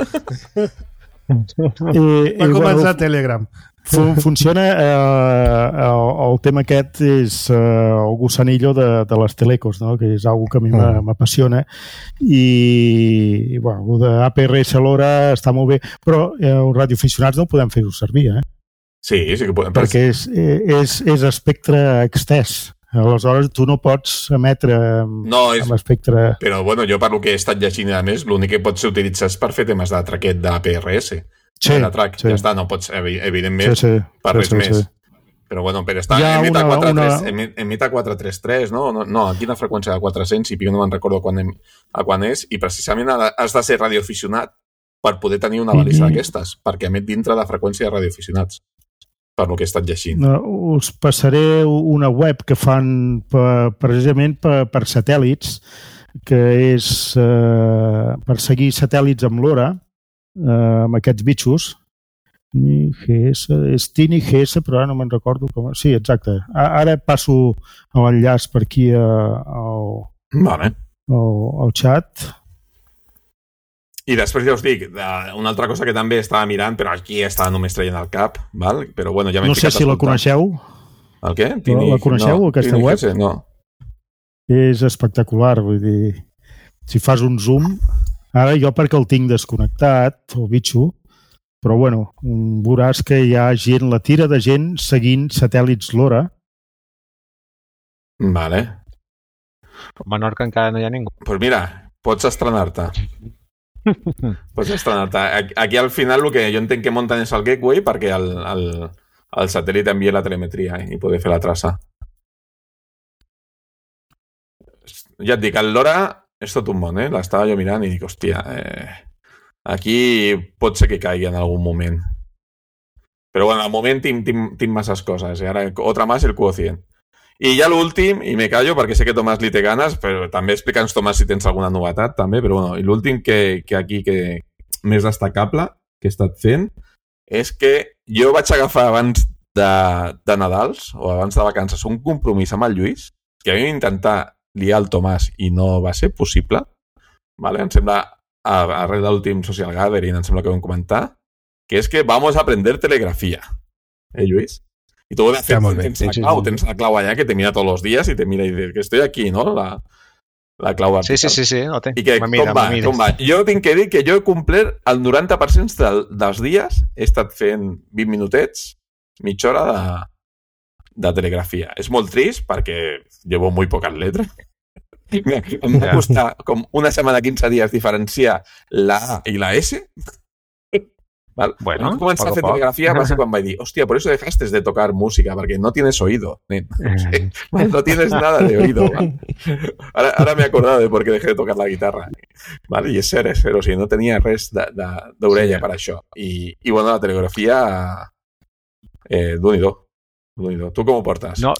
I, Va i, començar bueno, Telegram. Fun funciona, eh, el, el tema aquest és eh, el gusanillo de, de les telecos, no? Que és una que a mi mm. m'apassiona i, i bueno, el de A P R S l'hora està molt bé, però eh, els radioaficionats no podem fer-ho servir, eh? Sí, sí que podem. Perquè és, és, és espectre extès. Aleshores, tu no pots emetre no, és... amb espectre... Però, bueno, jo per lo que he estat llegint, a més, l'únic que pot ser utilitzat és per fer temes de traquet d'A P R S. Sí, de track, sí. Ja està, no pots, evidentment, sí, sí, per res sí, sí, més. Sí. Però, bueno, per estar en emita una... quatre trenta tres, no? no? No, aquí la freqüència de quatre-cents, i no me'n recordo quan, em, a quan és, i precisament has de ser radioaficionat per poder tenir una balista mm -hmm. d'aquestes, perquè emet dintre de freqüència de radioaficionats, per lo que he estat llegint. No, us passaré una web que fan per, precisament per, per satèl·lits, que és eh, per seguir satèl·lits amb l'hora, Uh, amb aquests bitxos N G S, és T N G S, però ara no me'n recordo com... Sí, exacte. Ara passo l'enllaç per aquí al, vale. al, al xat. I després ja us dic, una altra cosa que també estava mirant, però aquí estava només traient al cap, val? Però bueno, ja m'he no sé si la coneixeu. El què? Tini... La coneixeu, no, aquesta web? G S, no. És espectacular, vull dir, si fas un zoom... Ara jo perquè el tinc desconnectat, el bitxo, però bueno, veuràs que hi ha gent, la tira de gent seguint satèl·lits l'hora. Vale. A Menorca encara no hi ha ningú. Doncs pues mira, pots estrenar-te. pots estrenar-te. Aquí al final el que jo entenc que munten és el gateway perquè el, el, el satèl·lit envia la telemetria i poder fer la traça. Ja et dic, l'hora... És tot un món, eh? L'estava jo mirant i dic, hòstia, eh, aquí pot ser que caigui en algun moment. Però bueno, al moment tinc, tinc, tinc masses coses. I ara, otra más, el quotient. I ja l'últim, i me callo perquè sé que Tomàs li té ganes, però també explica'ns, Tomàs, si tens alguna novetat, també, però bueno, i l'últim que, que aquí, que més destacable que he estat fent, és que jo vaig agafar abans de, de Nadals, o abans de vacances, un compromís amb el Lluís, que vam intentar liar el Tomàs i no va ser possible, vale? Em sembla, arrel de l'últim Social Gathering, em sembla que vam comentar, que és que vamos a aprender telegrafía. ¿Eh, Lluís? Y tú de fet, tens la clau, tens la clau allà que te mira todos los días y te mira y dice que estoy aquí, ¿no? La, la clau vertical. Sí, sí, sí, sí. I que, com va, com va? Jo tinc que dir que jo he complert el noranta per cent del, dels dies, he estat fent vint minutets, mitja hora de, de telegrafia. És molt trist perquè llevo muy pocas letras. Em va costar com una setmana, quinze dies diferenciar la A i la S. ¿Vale? Bueno, cuando comencé a hacer telegrafía, va a ser cuando vaig dir, hostia, por eso dejaste de tocar música, porque no tienes oído. No, no tienes nada de oído. ¿Vale? Ahora, ahora me he acordado de por qué dejé de tocar la guitarra. ¿Vale? I és cert, és cert, o sigui, no tenia res d'orella sí. per això. I, i bueno, la telegrafia, eh, d'un-i-do. d'un-i-do. Tu com ho portes? No,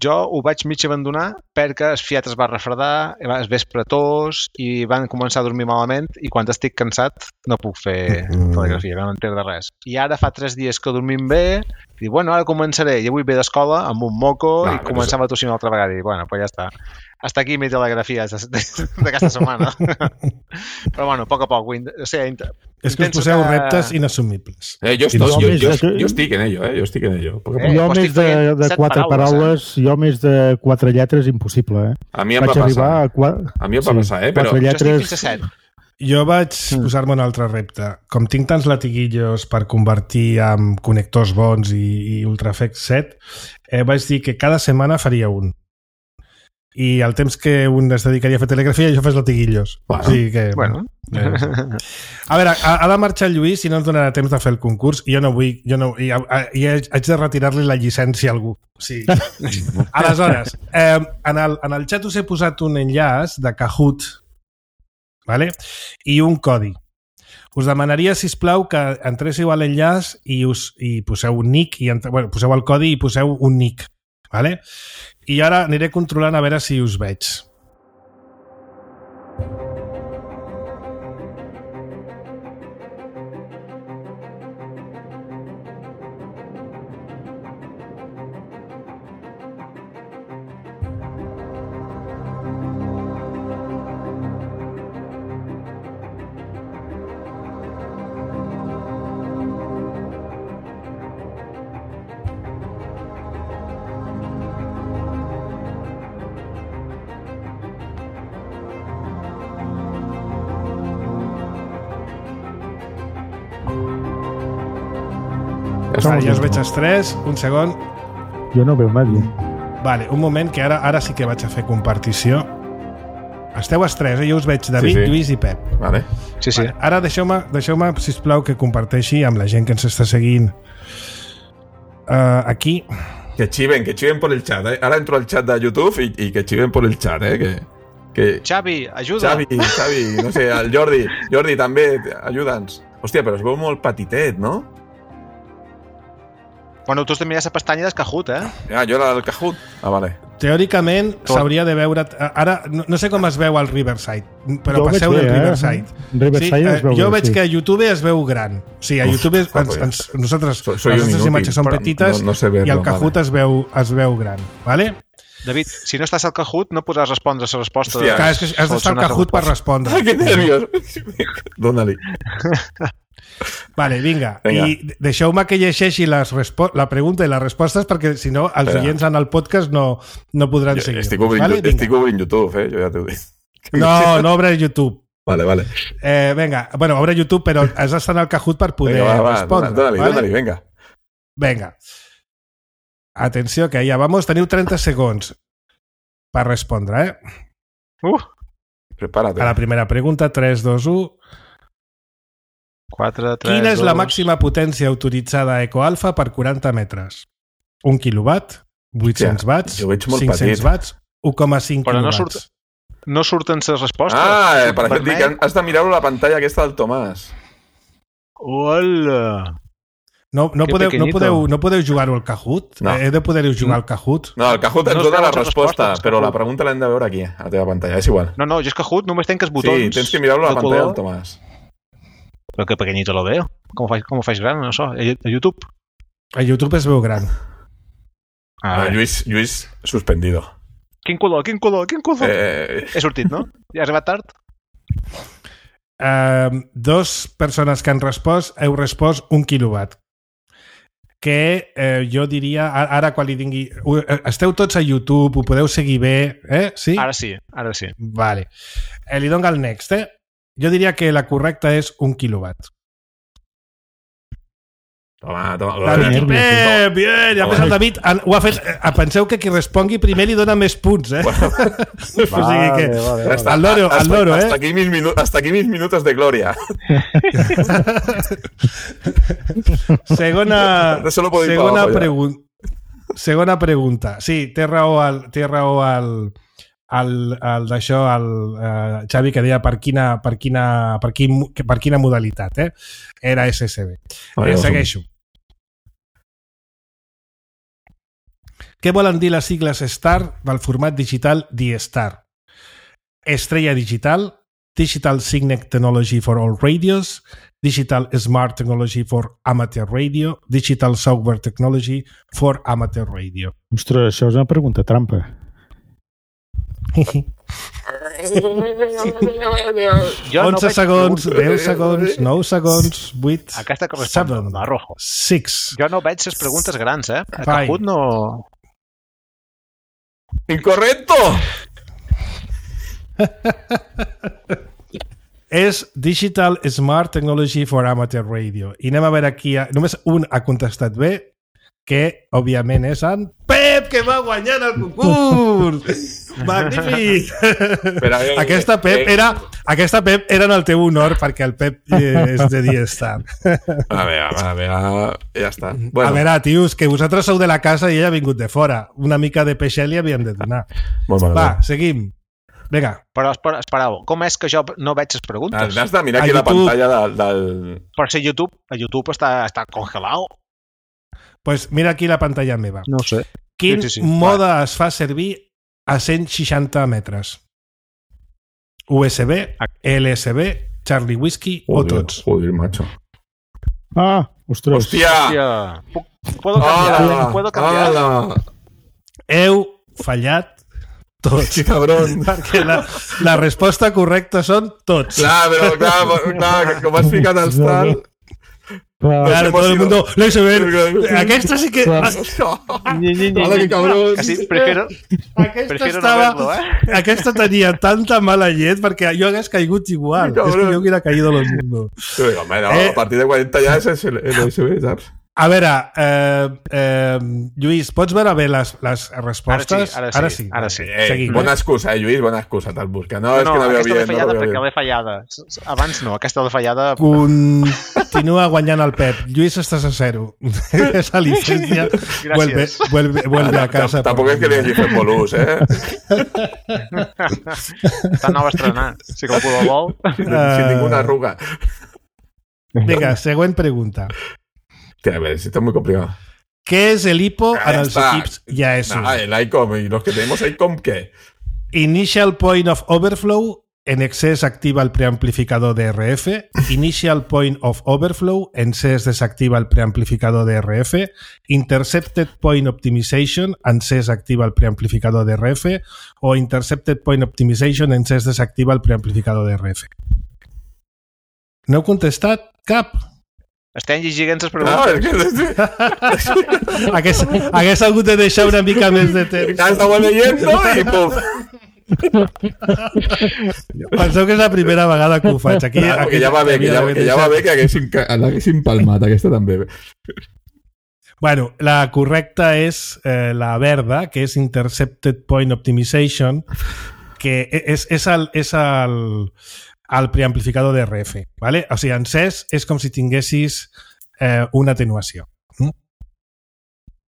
jo ho vaig mig abandonar perquè el fiat es va refredar, es vespre tos i van començar a dormir malament i quan estic cansat no puc fer telegrafia, no m'entendre res. I ara fa tres dies que dormim bé i bueno, ara començaré. I avui ve d'escola amb un moco no, i començava a tossir una altra vegada i bueno, pues ja està. Hasta aquí mi telegrafia d'aquesta setmana. Però bueno, a poc a poc. O sigui, és que us poseu que... reptes inassumibles. Eh, jo, estoy, jo, jo, jo, jo estic en ello, eh? Jo estic en ello. Eh, jo més de, de quatre paraules, eh? jo més de quatre lletres, impossible, eh? A mi em va passar. A, qua... a mi em va passar, eh? Però... lletres... Jo vaig mm. posar-me un altre repte. Com tinc tants latiguillos per convertir en connectors bons i, i UltraFX set, eh, vaig dir que cada setmana faria un. I el temps que un es dedicaria a fer telegrafia jo fes latiguillos. Bueno, o sigui que, bueno. Eh, a veure, ha, ha de marxar el Lluís i no ens donarà temps de fer el concurs i jo no vull, jo no, i, i haig de retirar-li la llicència a algú. O sigui, aleshores, eh, en, el, en el xat us he posat un enllaç de Kahoot, vale? I un codi. Us demanaria, sisplau, que entréssiu a l'enllaç i, us, i poseu un nick, i entre, bueno, poseu el codi i poseu un nick. Vale? I ara aniré controlant a veure si us veig. Vale, ja us veig els tres. Un segon. Jo no veu nadie. Vale, un moment, que ara ara sí que vaig a fer compartició. Esteu els tres, eh? Jo us veig David, sí, sí. Lluís i Pep. Vale. Sí, sí. Vale. Ara deixeu-me, deixeu-me, sisplau, que comparteixi amb la gent que ens està seguint uh, aquí. Que chiven, que chiven por el chat, eh? Ara entro al chat de YouTube i, i que chiven por el chat, eh? Que, que... Xavi, ajuda! Xavi, Xavi, no sé, el Jordi. Jordi, també, ajuda'ns. Hòstia, però es veu molt petitet, no? Bueno, tu has de mirar la pestanya del Kahoot, eh? Ja, jo era del Kahoot. Ah, vale. Teòricament s'hauria de veure... Ara, no, no sé com es veu al Riverside, però jo passeu del Riverside. Eh? Riverside sí, es veu jo bé, veig sí. que a YouTube es veu gran. Sí, a Uf, YouTube ja. ens, ens, nosaltres, Soy, soy les nostres imatges són petites no, no sé verlo, i el Kahoot vale. es, veu, es veu gran. Vale? David, si no estàs al Kahoot no podràs respondre a la resposta. Hòstia, de... Clar, és que has d'estar al Kahoot per respondre. Ai, que nervios. Dóna-li. Vale, vinga. Vinga. I deixeu-me que llegeixi les la pregunta i les respostes perquè si no els Espera. oients en el podcast no, no podran Jo, seguir. estic obrint, vale? estic obrint YouTube, eh? Jo ja t'ho dic. No, no obre YouTube. Vale, vale. Eh, vinga, bueno, obre YouTube, però has d'estar al Kahoot per poder Venga, va, va, respondre. dóna-li, vale? dóna-li, venga. Vinga. Atenció, que ja vamos. Teniu trenta segons per respondre, eh? Uh, Prepárate. A la primera pregunta, tres, dos, u. quatre, tres, Quina és dos... la màxima potència autoritzada a EcoAlpha per quaranta metres? Un quilowatt, vuit-cents watts, jo veig molt cinc-cents petit. watts, u coma cinc Però no quilowatts. surt- No surten les respostes. Ah, eh, per Vermell. exemple, has de mirar la pantalla aquesta del Tomàs. Hola! No, no, Que podeu, no, pequeñito. podeu, no podeu jugar-ho al Kahoot? No. He de poder-ho jugar al Kahoot? No, el Kahoot ens No es dona veuen la les resposta, respostes, però la Kahoot. pregunta l'hem de veure aquí, a la teva pantalla. És igual. No, no, jo és Kahoot només tenc els botons. Sí, tens que mirar-lo a la de pantalla color. del Tomàs. Però que pequeñito lo veo. Com ho faig, com ho faig gran, no so? A a YouTube? A YouTube es veu gran. Ah, Ah, Lluís, Lluís suspendido. Quin color, quin color, quin color? Eh, He sortit, no? Ja has arribat tard? Uh, dos persones que han respost, heu respost un quilowatt. Que eh, jo diria, a- ara quan li dingui... u- eh, Esteu tots a YouTube, ho podeu seguir bé, eh? Sí? Ara sí, ara sí. Vale. Eh, li dono el next, eh? Jo diria que la correcta és un quilowatt. toma, toma. David i nervis, Pep, bien! Ja el David han- ho ha fet... eh, Penseu que qui respongui primer li dona més punts, eh? O sigui que... vale, vale. Al loro, al hasta, loro, eh? hasta aquí mis minu- hasta aquí mis minutos de gloria. Segona, Solo puedo ir segona, para abajo ya. pregun segona pregunta. Sí, té raó el, té raó el, el, el d'això, el uh, Xavi, que deia per quina, per quina, per quin, per quina modalitat, eh? Era S S B. Vale, Eh, vamos. segueixo. Què volen dir les sigles STAR del format digital D-Star? Estrella Digital, Digital Signet Technology for All Radios, Digital Smart Technology for Amateur Radio, Digital Software Technology for Amateur Radio. Ostres, això és una pregunta trampa. Jo onze veig segons, preguntes. deu segons, nou segons, vuit, Aquesta correspon seven, a rojo. six. Jo no veig les preguntes grans, eh? A Vai. Kahoot no... ¡Incorrecto! És Digital Smart Technology for Amateur Radio. I anem a veure aquí, només un ha contestat bé, que òbviament és en Pep, que va guanyant el concurs! Magnífic! Però, eh, aquesta, Pep eh, era, aquesta Pep era en el teu honor perquè el Pep eh, és de D-Star. A veure, a veure, ja està. Bueno. Bueno, A veure, tios, que vosaltres sou de la casa i ella ha vingut de fora. Una mica de peixet li havíem de donar. molt mal. Va, seguim. Vinga. Però espera, espereu, com és que jo no veig les preguntes? Has de mirar A aquí la YouTube. pantalla del... del... Per ser YouTube, a YouTube està, està congelat. Pues mira aquí la pantalla meva. No ho sé. Quin Sí, sí, sí. mode es fa servir a cent seixanta metres? U S B, L S B, Charlie Whiskey o Joder, tots? joder, macho. Ah, ostres. Hòstia! Hòstia, puc, puedo cambiar, Hola, puedo cambiar. hola. Heu fallat tots. Sí, cabrón. Perquè la, la resposta correcta són tots. Clar, però clar, clar, com has ficat els tal... Clar. Claro, hemos todo el ido- mundo lo hizo ver. Aquesta sí que... Clar. Ni, ni, ni, Hola, ni. que cabrón. Casi prefiero, Aquesta prefiero estava... no verlo, ¿eh? Aquesta tenia tanta mala llet perquè jo hagués caigut igual. Cabrón. És que jo hubiera caído lo mismo. Sí, home, no, Eh. a partir de cuarenta ya ese es el, el U S B, ¿sabes? A veure, eh, eh, Lluís, pots veure bé les, les respostes? Ara sí, ara sí. Ara sí. Ara sí. Ei, bona excusa, eh, Lluís, bona excusa, te'l busca. No, no, és que no, no veu aquesta bien, de fallada no perquè l'he fallada. Abans no, aquesta de fallada... Continua guanyant el Pep. Lluís, estàs a zero. Esa licencia vuelve, vuelve, vuelve a casa. Tampoc és que li hagi fet molt ús, eh? Està nou estrenat. Si com ho vol. Sin ninguna arruga. Venga, següent pregunta. A ver, si está muy complicado. ¿Qué es el I P O en els equips I A S? Ah, el I C O M. ¿Y los que tenemos I C O M qué? Initial Point of Overflow. En excés activa el preamplificador de R F. Initial Point of Overflow. En excés desactiva el preamplificador de R F. Intercepted Point Optimization. En excés activa el preamplificador de R F. O Intercepted Point Optimization. En excés desactiva el preamplificador de R F. No heu contestat cap? Estem llegint les preguntes. No, es que... hagués, hagués hagut de deixar una mica més de temps. Ja estava leyendo i puf. Penseu que és la primera vegada que ho faig. Aquí, Claro, aquí que ja va bé, que ja, que ja va bé que haguéssim, l'haguéssim palmat, aquesta també. Bueno, la correcta és eh, la verda, que és Intercepted Point Optimization, que és, és el... És el al preamplificador de R F, ¿vale? O sigui, encès és com si tinguessis eh, una atenuació. ¿Mm?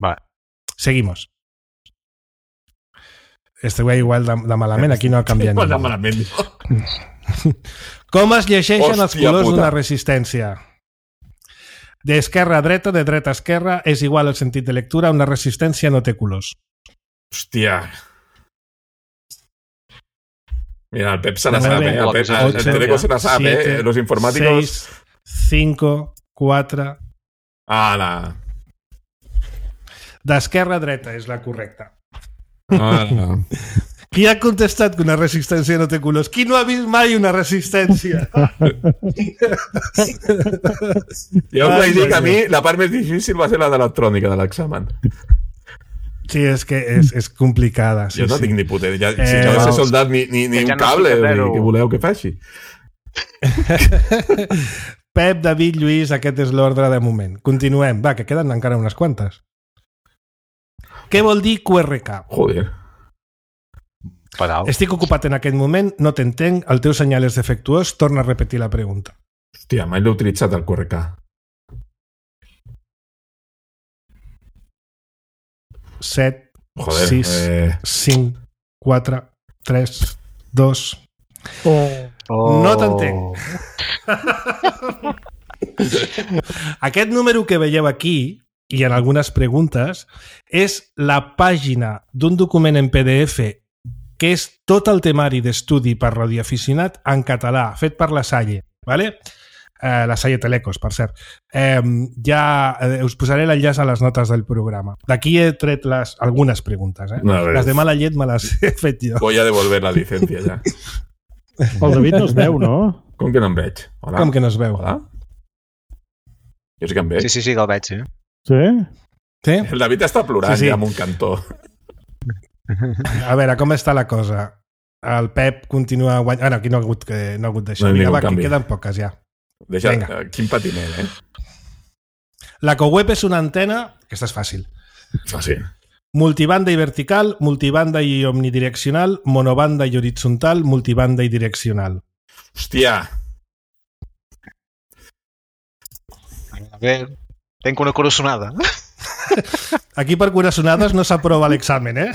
Vale. Seguimos. Este güey igual de, de malament, aquí no ha canviat igual de malament. Com es llegeixen els colors puta. d'una resistència? D'esquerra a dreta, de dreta a esquerra, és igual el sentit de lectura, una resistència no té colors. Hòstia... Mira, el Pep se la sabe, eh? El, Pep, el, el Teleco se la sabe, siete, eh? Los informáticos... seis, cinco, quatre... Ala. D'esquerra a dreta és la correcta. Ala. Qui ha contestat que una resistència no té colors? Qui no ha vist mai una resistència? Jo us vaig dir que a mi la part més difícil va ser la d'electrònica de l'examen. Sí, és que és, és complicada. Sí, jo no sí. tinc ni puta idea. Ja, eh, si no he soldat ni, ni, ni un cable, ni que voleu que faci. Pep, David, Lluís, aquest és l'ordre de moment. Continuem. Va, que queden encara unes quantes. Què vol dir Q R K? Joder. Paral. Estic ocupat en aquest moment, no t'entenc, el teu senyal és defectuós, torna a repetir la pregunta. Hòstia, mai l'he utilitzat el Q R K. set, Joder, sis, eh... cinc, quatre, tres, dos... Oh. No t'entenc. Aquest número que veieu aquí, i en algunes preguntes, és la pàgina d'un document en P D F que és tot el temari d'estudi per radioaficionat en català, fet per la Salle, ¿vale? Eh, la Salle Telecos, per cert. Eh, ja eh, us posaré l'enllaç a les notes del programa. D'aquí he tret les, algunes preguntes. Eh? No, les de mala llet me les he fet jo. Voy a devolver la licencia ja. El David no es veu, no? Com que no em veig? Hola? Com que no es veu? Hola? Jo sí que em veig. Sí, sí, sí, que el veig, sí. Sí? Sí? El David està plorant sí, sí. ja en un cantó. A veure, com està la cosa? El Pep continua guanyant... Ah, no, aquí no ha hagut, que, no ha hagut d'això. No Vinga, va, que queden poques ja. Deixa, uh, quin patiner, eh? La CoWeb és una antena, aquesta és fàcil. Fàcil. Multibanda i vertical, multibanda i omnidireccional, monobanda i horitzontal, multibanda i direccional. Hòstia! A veure, tenc una coraçonada. Aquí per coraçonades no s'aprova l'examen, eh?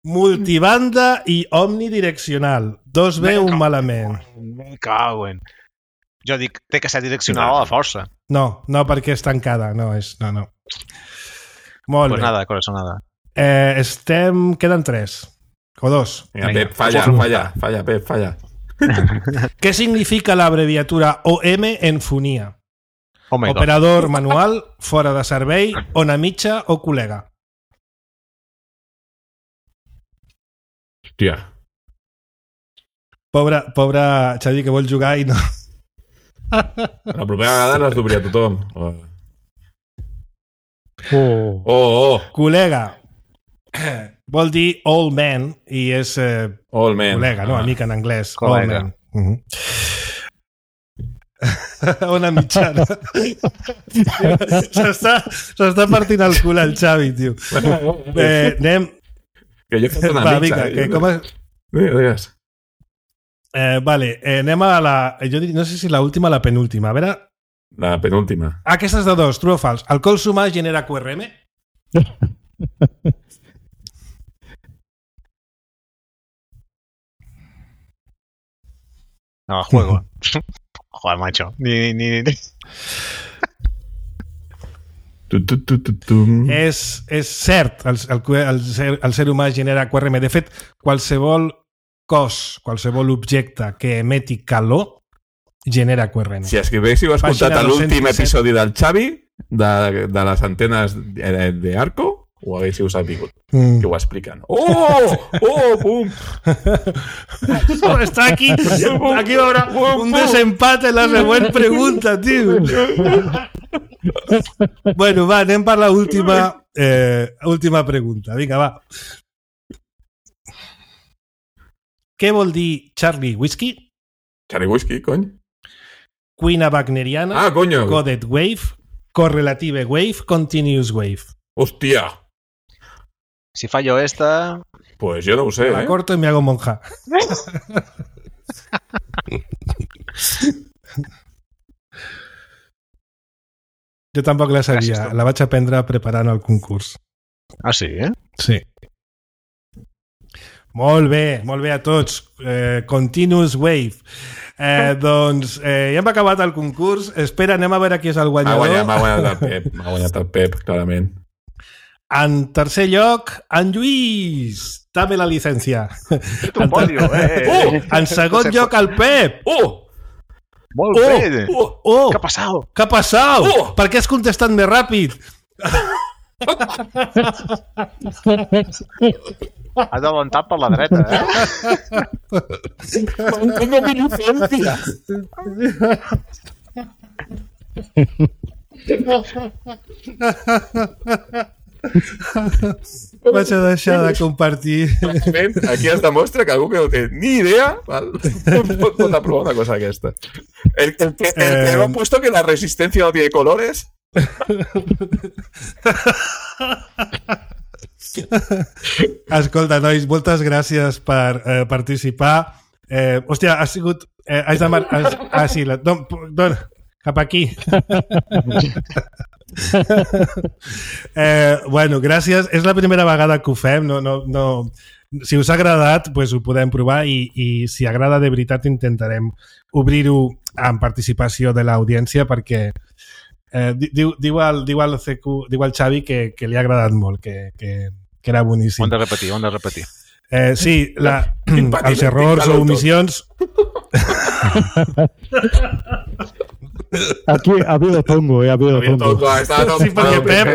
Multibanda i omnidireccional. Dos bé, un malament. Me caguen. Jo dic, té que ser direccional a la força. No, no, perquè és tancada. No, és... No, no. Molt pues bé. nada, corazonada. Eh, estem... Queden tres. O dos. Vinga, Pep, falla, falla, falla, Pep, falla. Què significa l'abreviatura O M en fonia? Oh my God. Operador manual, fora de servei, ona mitja o col·lega? Hòstia. Pobre, pobre Xavi, que vol jugar i no... La propera vegada les d'obrir a tothom. Oh. Oh. Oh, oh. Col·lega. Vol dir old man i és eh, Old man. col·lega, no? Ah. Amic en anglès. Col·lega. Old man. Uh-huh. Ona mitjana. S'està partint el cul al Xavi, tio. Eh, anem... Que jo he fet una Va, mitja. vinga, Eh? que com és... Digues, digues. Eh, vale, eh, anem a la... Jo diria, no sé si l'última o la penúltima. A veure... La penúltima. Ah, aquesta és de dos, true o fals. Alcohol sumar genera Q R M? No, juego. Joder, macho. Ni, ni, ni. Tu, tu, tu, tu, tu. És, és cert, el, el, el, ser, el ser humà genera Q R M. De fet, qualsevol cos, qualsevol objecte que emeti calor genera Q R M. Si escrivéssiu escoltat Pàgina l'últim dos cents disset. episodi del Xavi de, de les antenes d'Arco, ho haguéssiu sabut, Mm. que ho expliquen. Oh! Oh! Pum! Està aquí, aquí hi haurà un desempate en la següent pregunta, tio. Bueno, va, anem per la última, eh, última pregunta. Vinga, va. Què vol dir Charlie Whiskey? Charlie Whisky, cony. Cuina wagneriana, Ah, coño. coded wave, correlative wave, continuous wave. Hòstia. Si fallo esta... Pues yo no lo sé, La ¿eh? corto y me hago monja. Jo tampoc la sabia. Gràcies, Tom. La vaig aprendre preparant el concurs. Ah, sí, eh? Sí. Molt bé, molt bé a tots. Eh, continuous Wave. Eh, doncs eh, ja hem acabat el concurs. Espera, anem a veure qui és el M'ha guanyador. guanyat, m'ha guanyat el Pep. M'ha guanyat el Pep, clarament. En tercer lloc, en Lluís. Dame la llicència. Un podio, eh? Oh! En segon lloc, el Pep. Oh! Molt Oh! bé! Oh! Oh, Què ha passat? què ha passat? Oh! Per què has contestat més ràpid? Has adelantat per la dreta, eh? Tengo mi licencia. Vaig a deixar de compartir. Aquí es demostra que algú que no té ni idea val, pot, pot aprovar una cosa d'aquesta. El, el, que, el que Eh, no ha puesto que la resistencia no tiene colores. Escolta, nois, moltes gràcies per eh, participar. Eh, hòstia, ha sigut... Eh, has de mar... has... Ah, sí, la... Don, don, cap aquí. eh, bueno, gràcies. És la primera vegada que ho fem. No, no, no... Si us ha agradat, pues ho podem provar i, i si agrada de veritat intentarem obrir-ho amb participació de l'audiència perquè eh, diu, diu, el, diu, el C Q, diu el Xavi que, que li ha agradat molt, que, que, que era boníssim. Ho hem de repetir, ho hem de repetir. Eh, sí, la, Tinc els errors tinc o calor tot. omissions... Aquí ha habido tongo, eh, ha habido tongo. Sí, perquè Pep,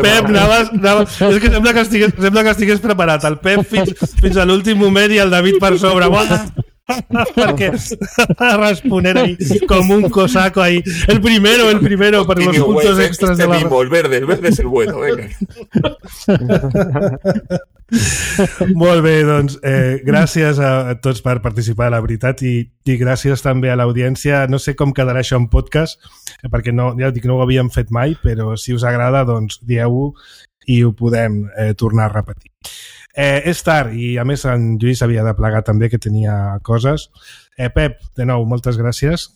Pep anaves, anaves, és que sembla que, estigués, sembla que estigués preparat. El Pep fins, fins a l'últim moment i el David per sobre. Buah! Perquè responent ahí com un cosaco ahí. El primero, el primero, per los puntos extras de la... Este mismo, el verde, el verde es el bueno, venga. Molt bé, doncs eh, gràcies a, a tots per participar, la veritat, i, i gràcies també a l'audiència. No sé com quedarà això en podcast, eh, perquè no, ja dic, no ho havíem fet mai, però si us agrada, doncs dieu-ho i ho podem eh, tornar a repetir. Eh, és tard i a més en Lluís havia de plegar també, que tenia coses. Eh, Pep, de nou, moltes gràcies.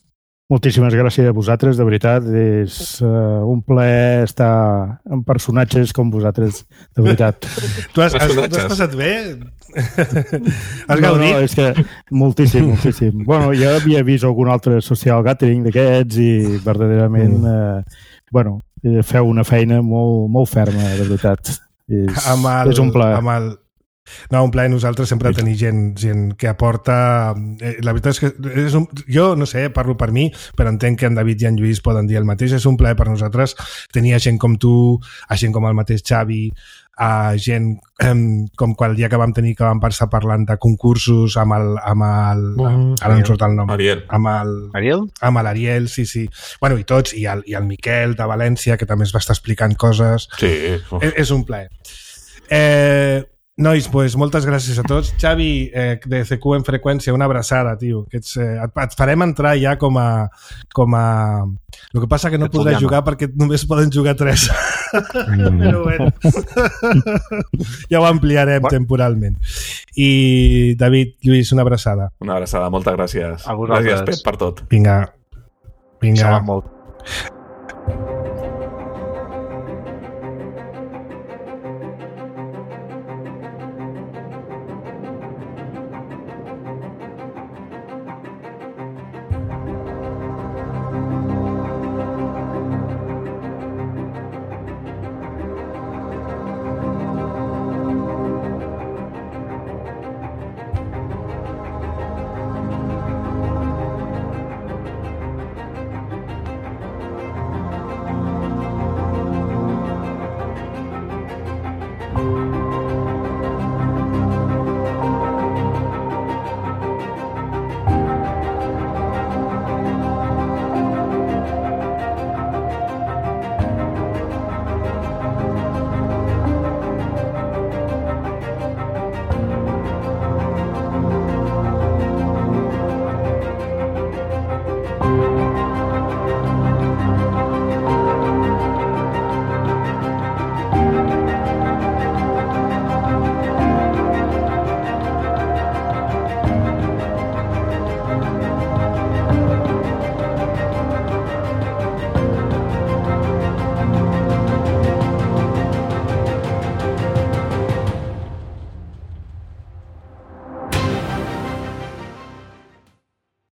Moltíssimes gràcies a vosaltres, de veritat. És uh, un plaer estar amb personatges com vosaltres, de veritat. Tu has, has, has passat bé? Has no, gaudit? no, és que moltíssim, moltíssim. Bueno, jo havia vist algun altre social gathering d'aquests i verdaderament mm. eh, bueno, feu una feina molt, molt ferma, de veritat. És, amb el, és un plaer. Amb el... No, un plaer nosaltres sempre tenir gent, gent que aporta... Eh, la veritat és que és un... jo, no sé, parlo per mi, però entenc que en David i en Lluís poden dir el mateix. És un plaer per nosaltres tenir a gent com tu, a gent com el mateix Xavi, a gent eh, com quan el dia que vam tenir que vam passar parlant de concursos amb el... Amb el Bueno, ara no em surt el nom. Ariel. Amb el... Ariel? Amb l'Ariel, sí, sí. Bueno, i tots, i el, i el Miquel de València, que també es va estar explicant coses. Sí. És, és un plaer. Eh... Nois, pues, moltes gràcies a tots. Xavi, eh, de C Q en freqüència, una abraçada, tio. Que ets, eh, et, et farem entrar ja com a... Com a... El que passa que no podràs jugar perquè només poden jugar tres. Mm. Però bueno. Ja ho ampliarem bueno. temporalment. I, David, Lluís, una abraçada. Una abraçada, moltes gràcies. Gràcies, Pep, per tot. Vinga. Vinga. Molt.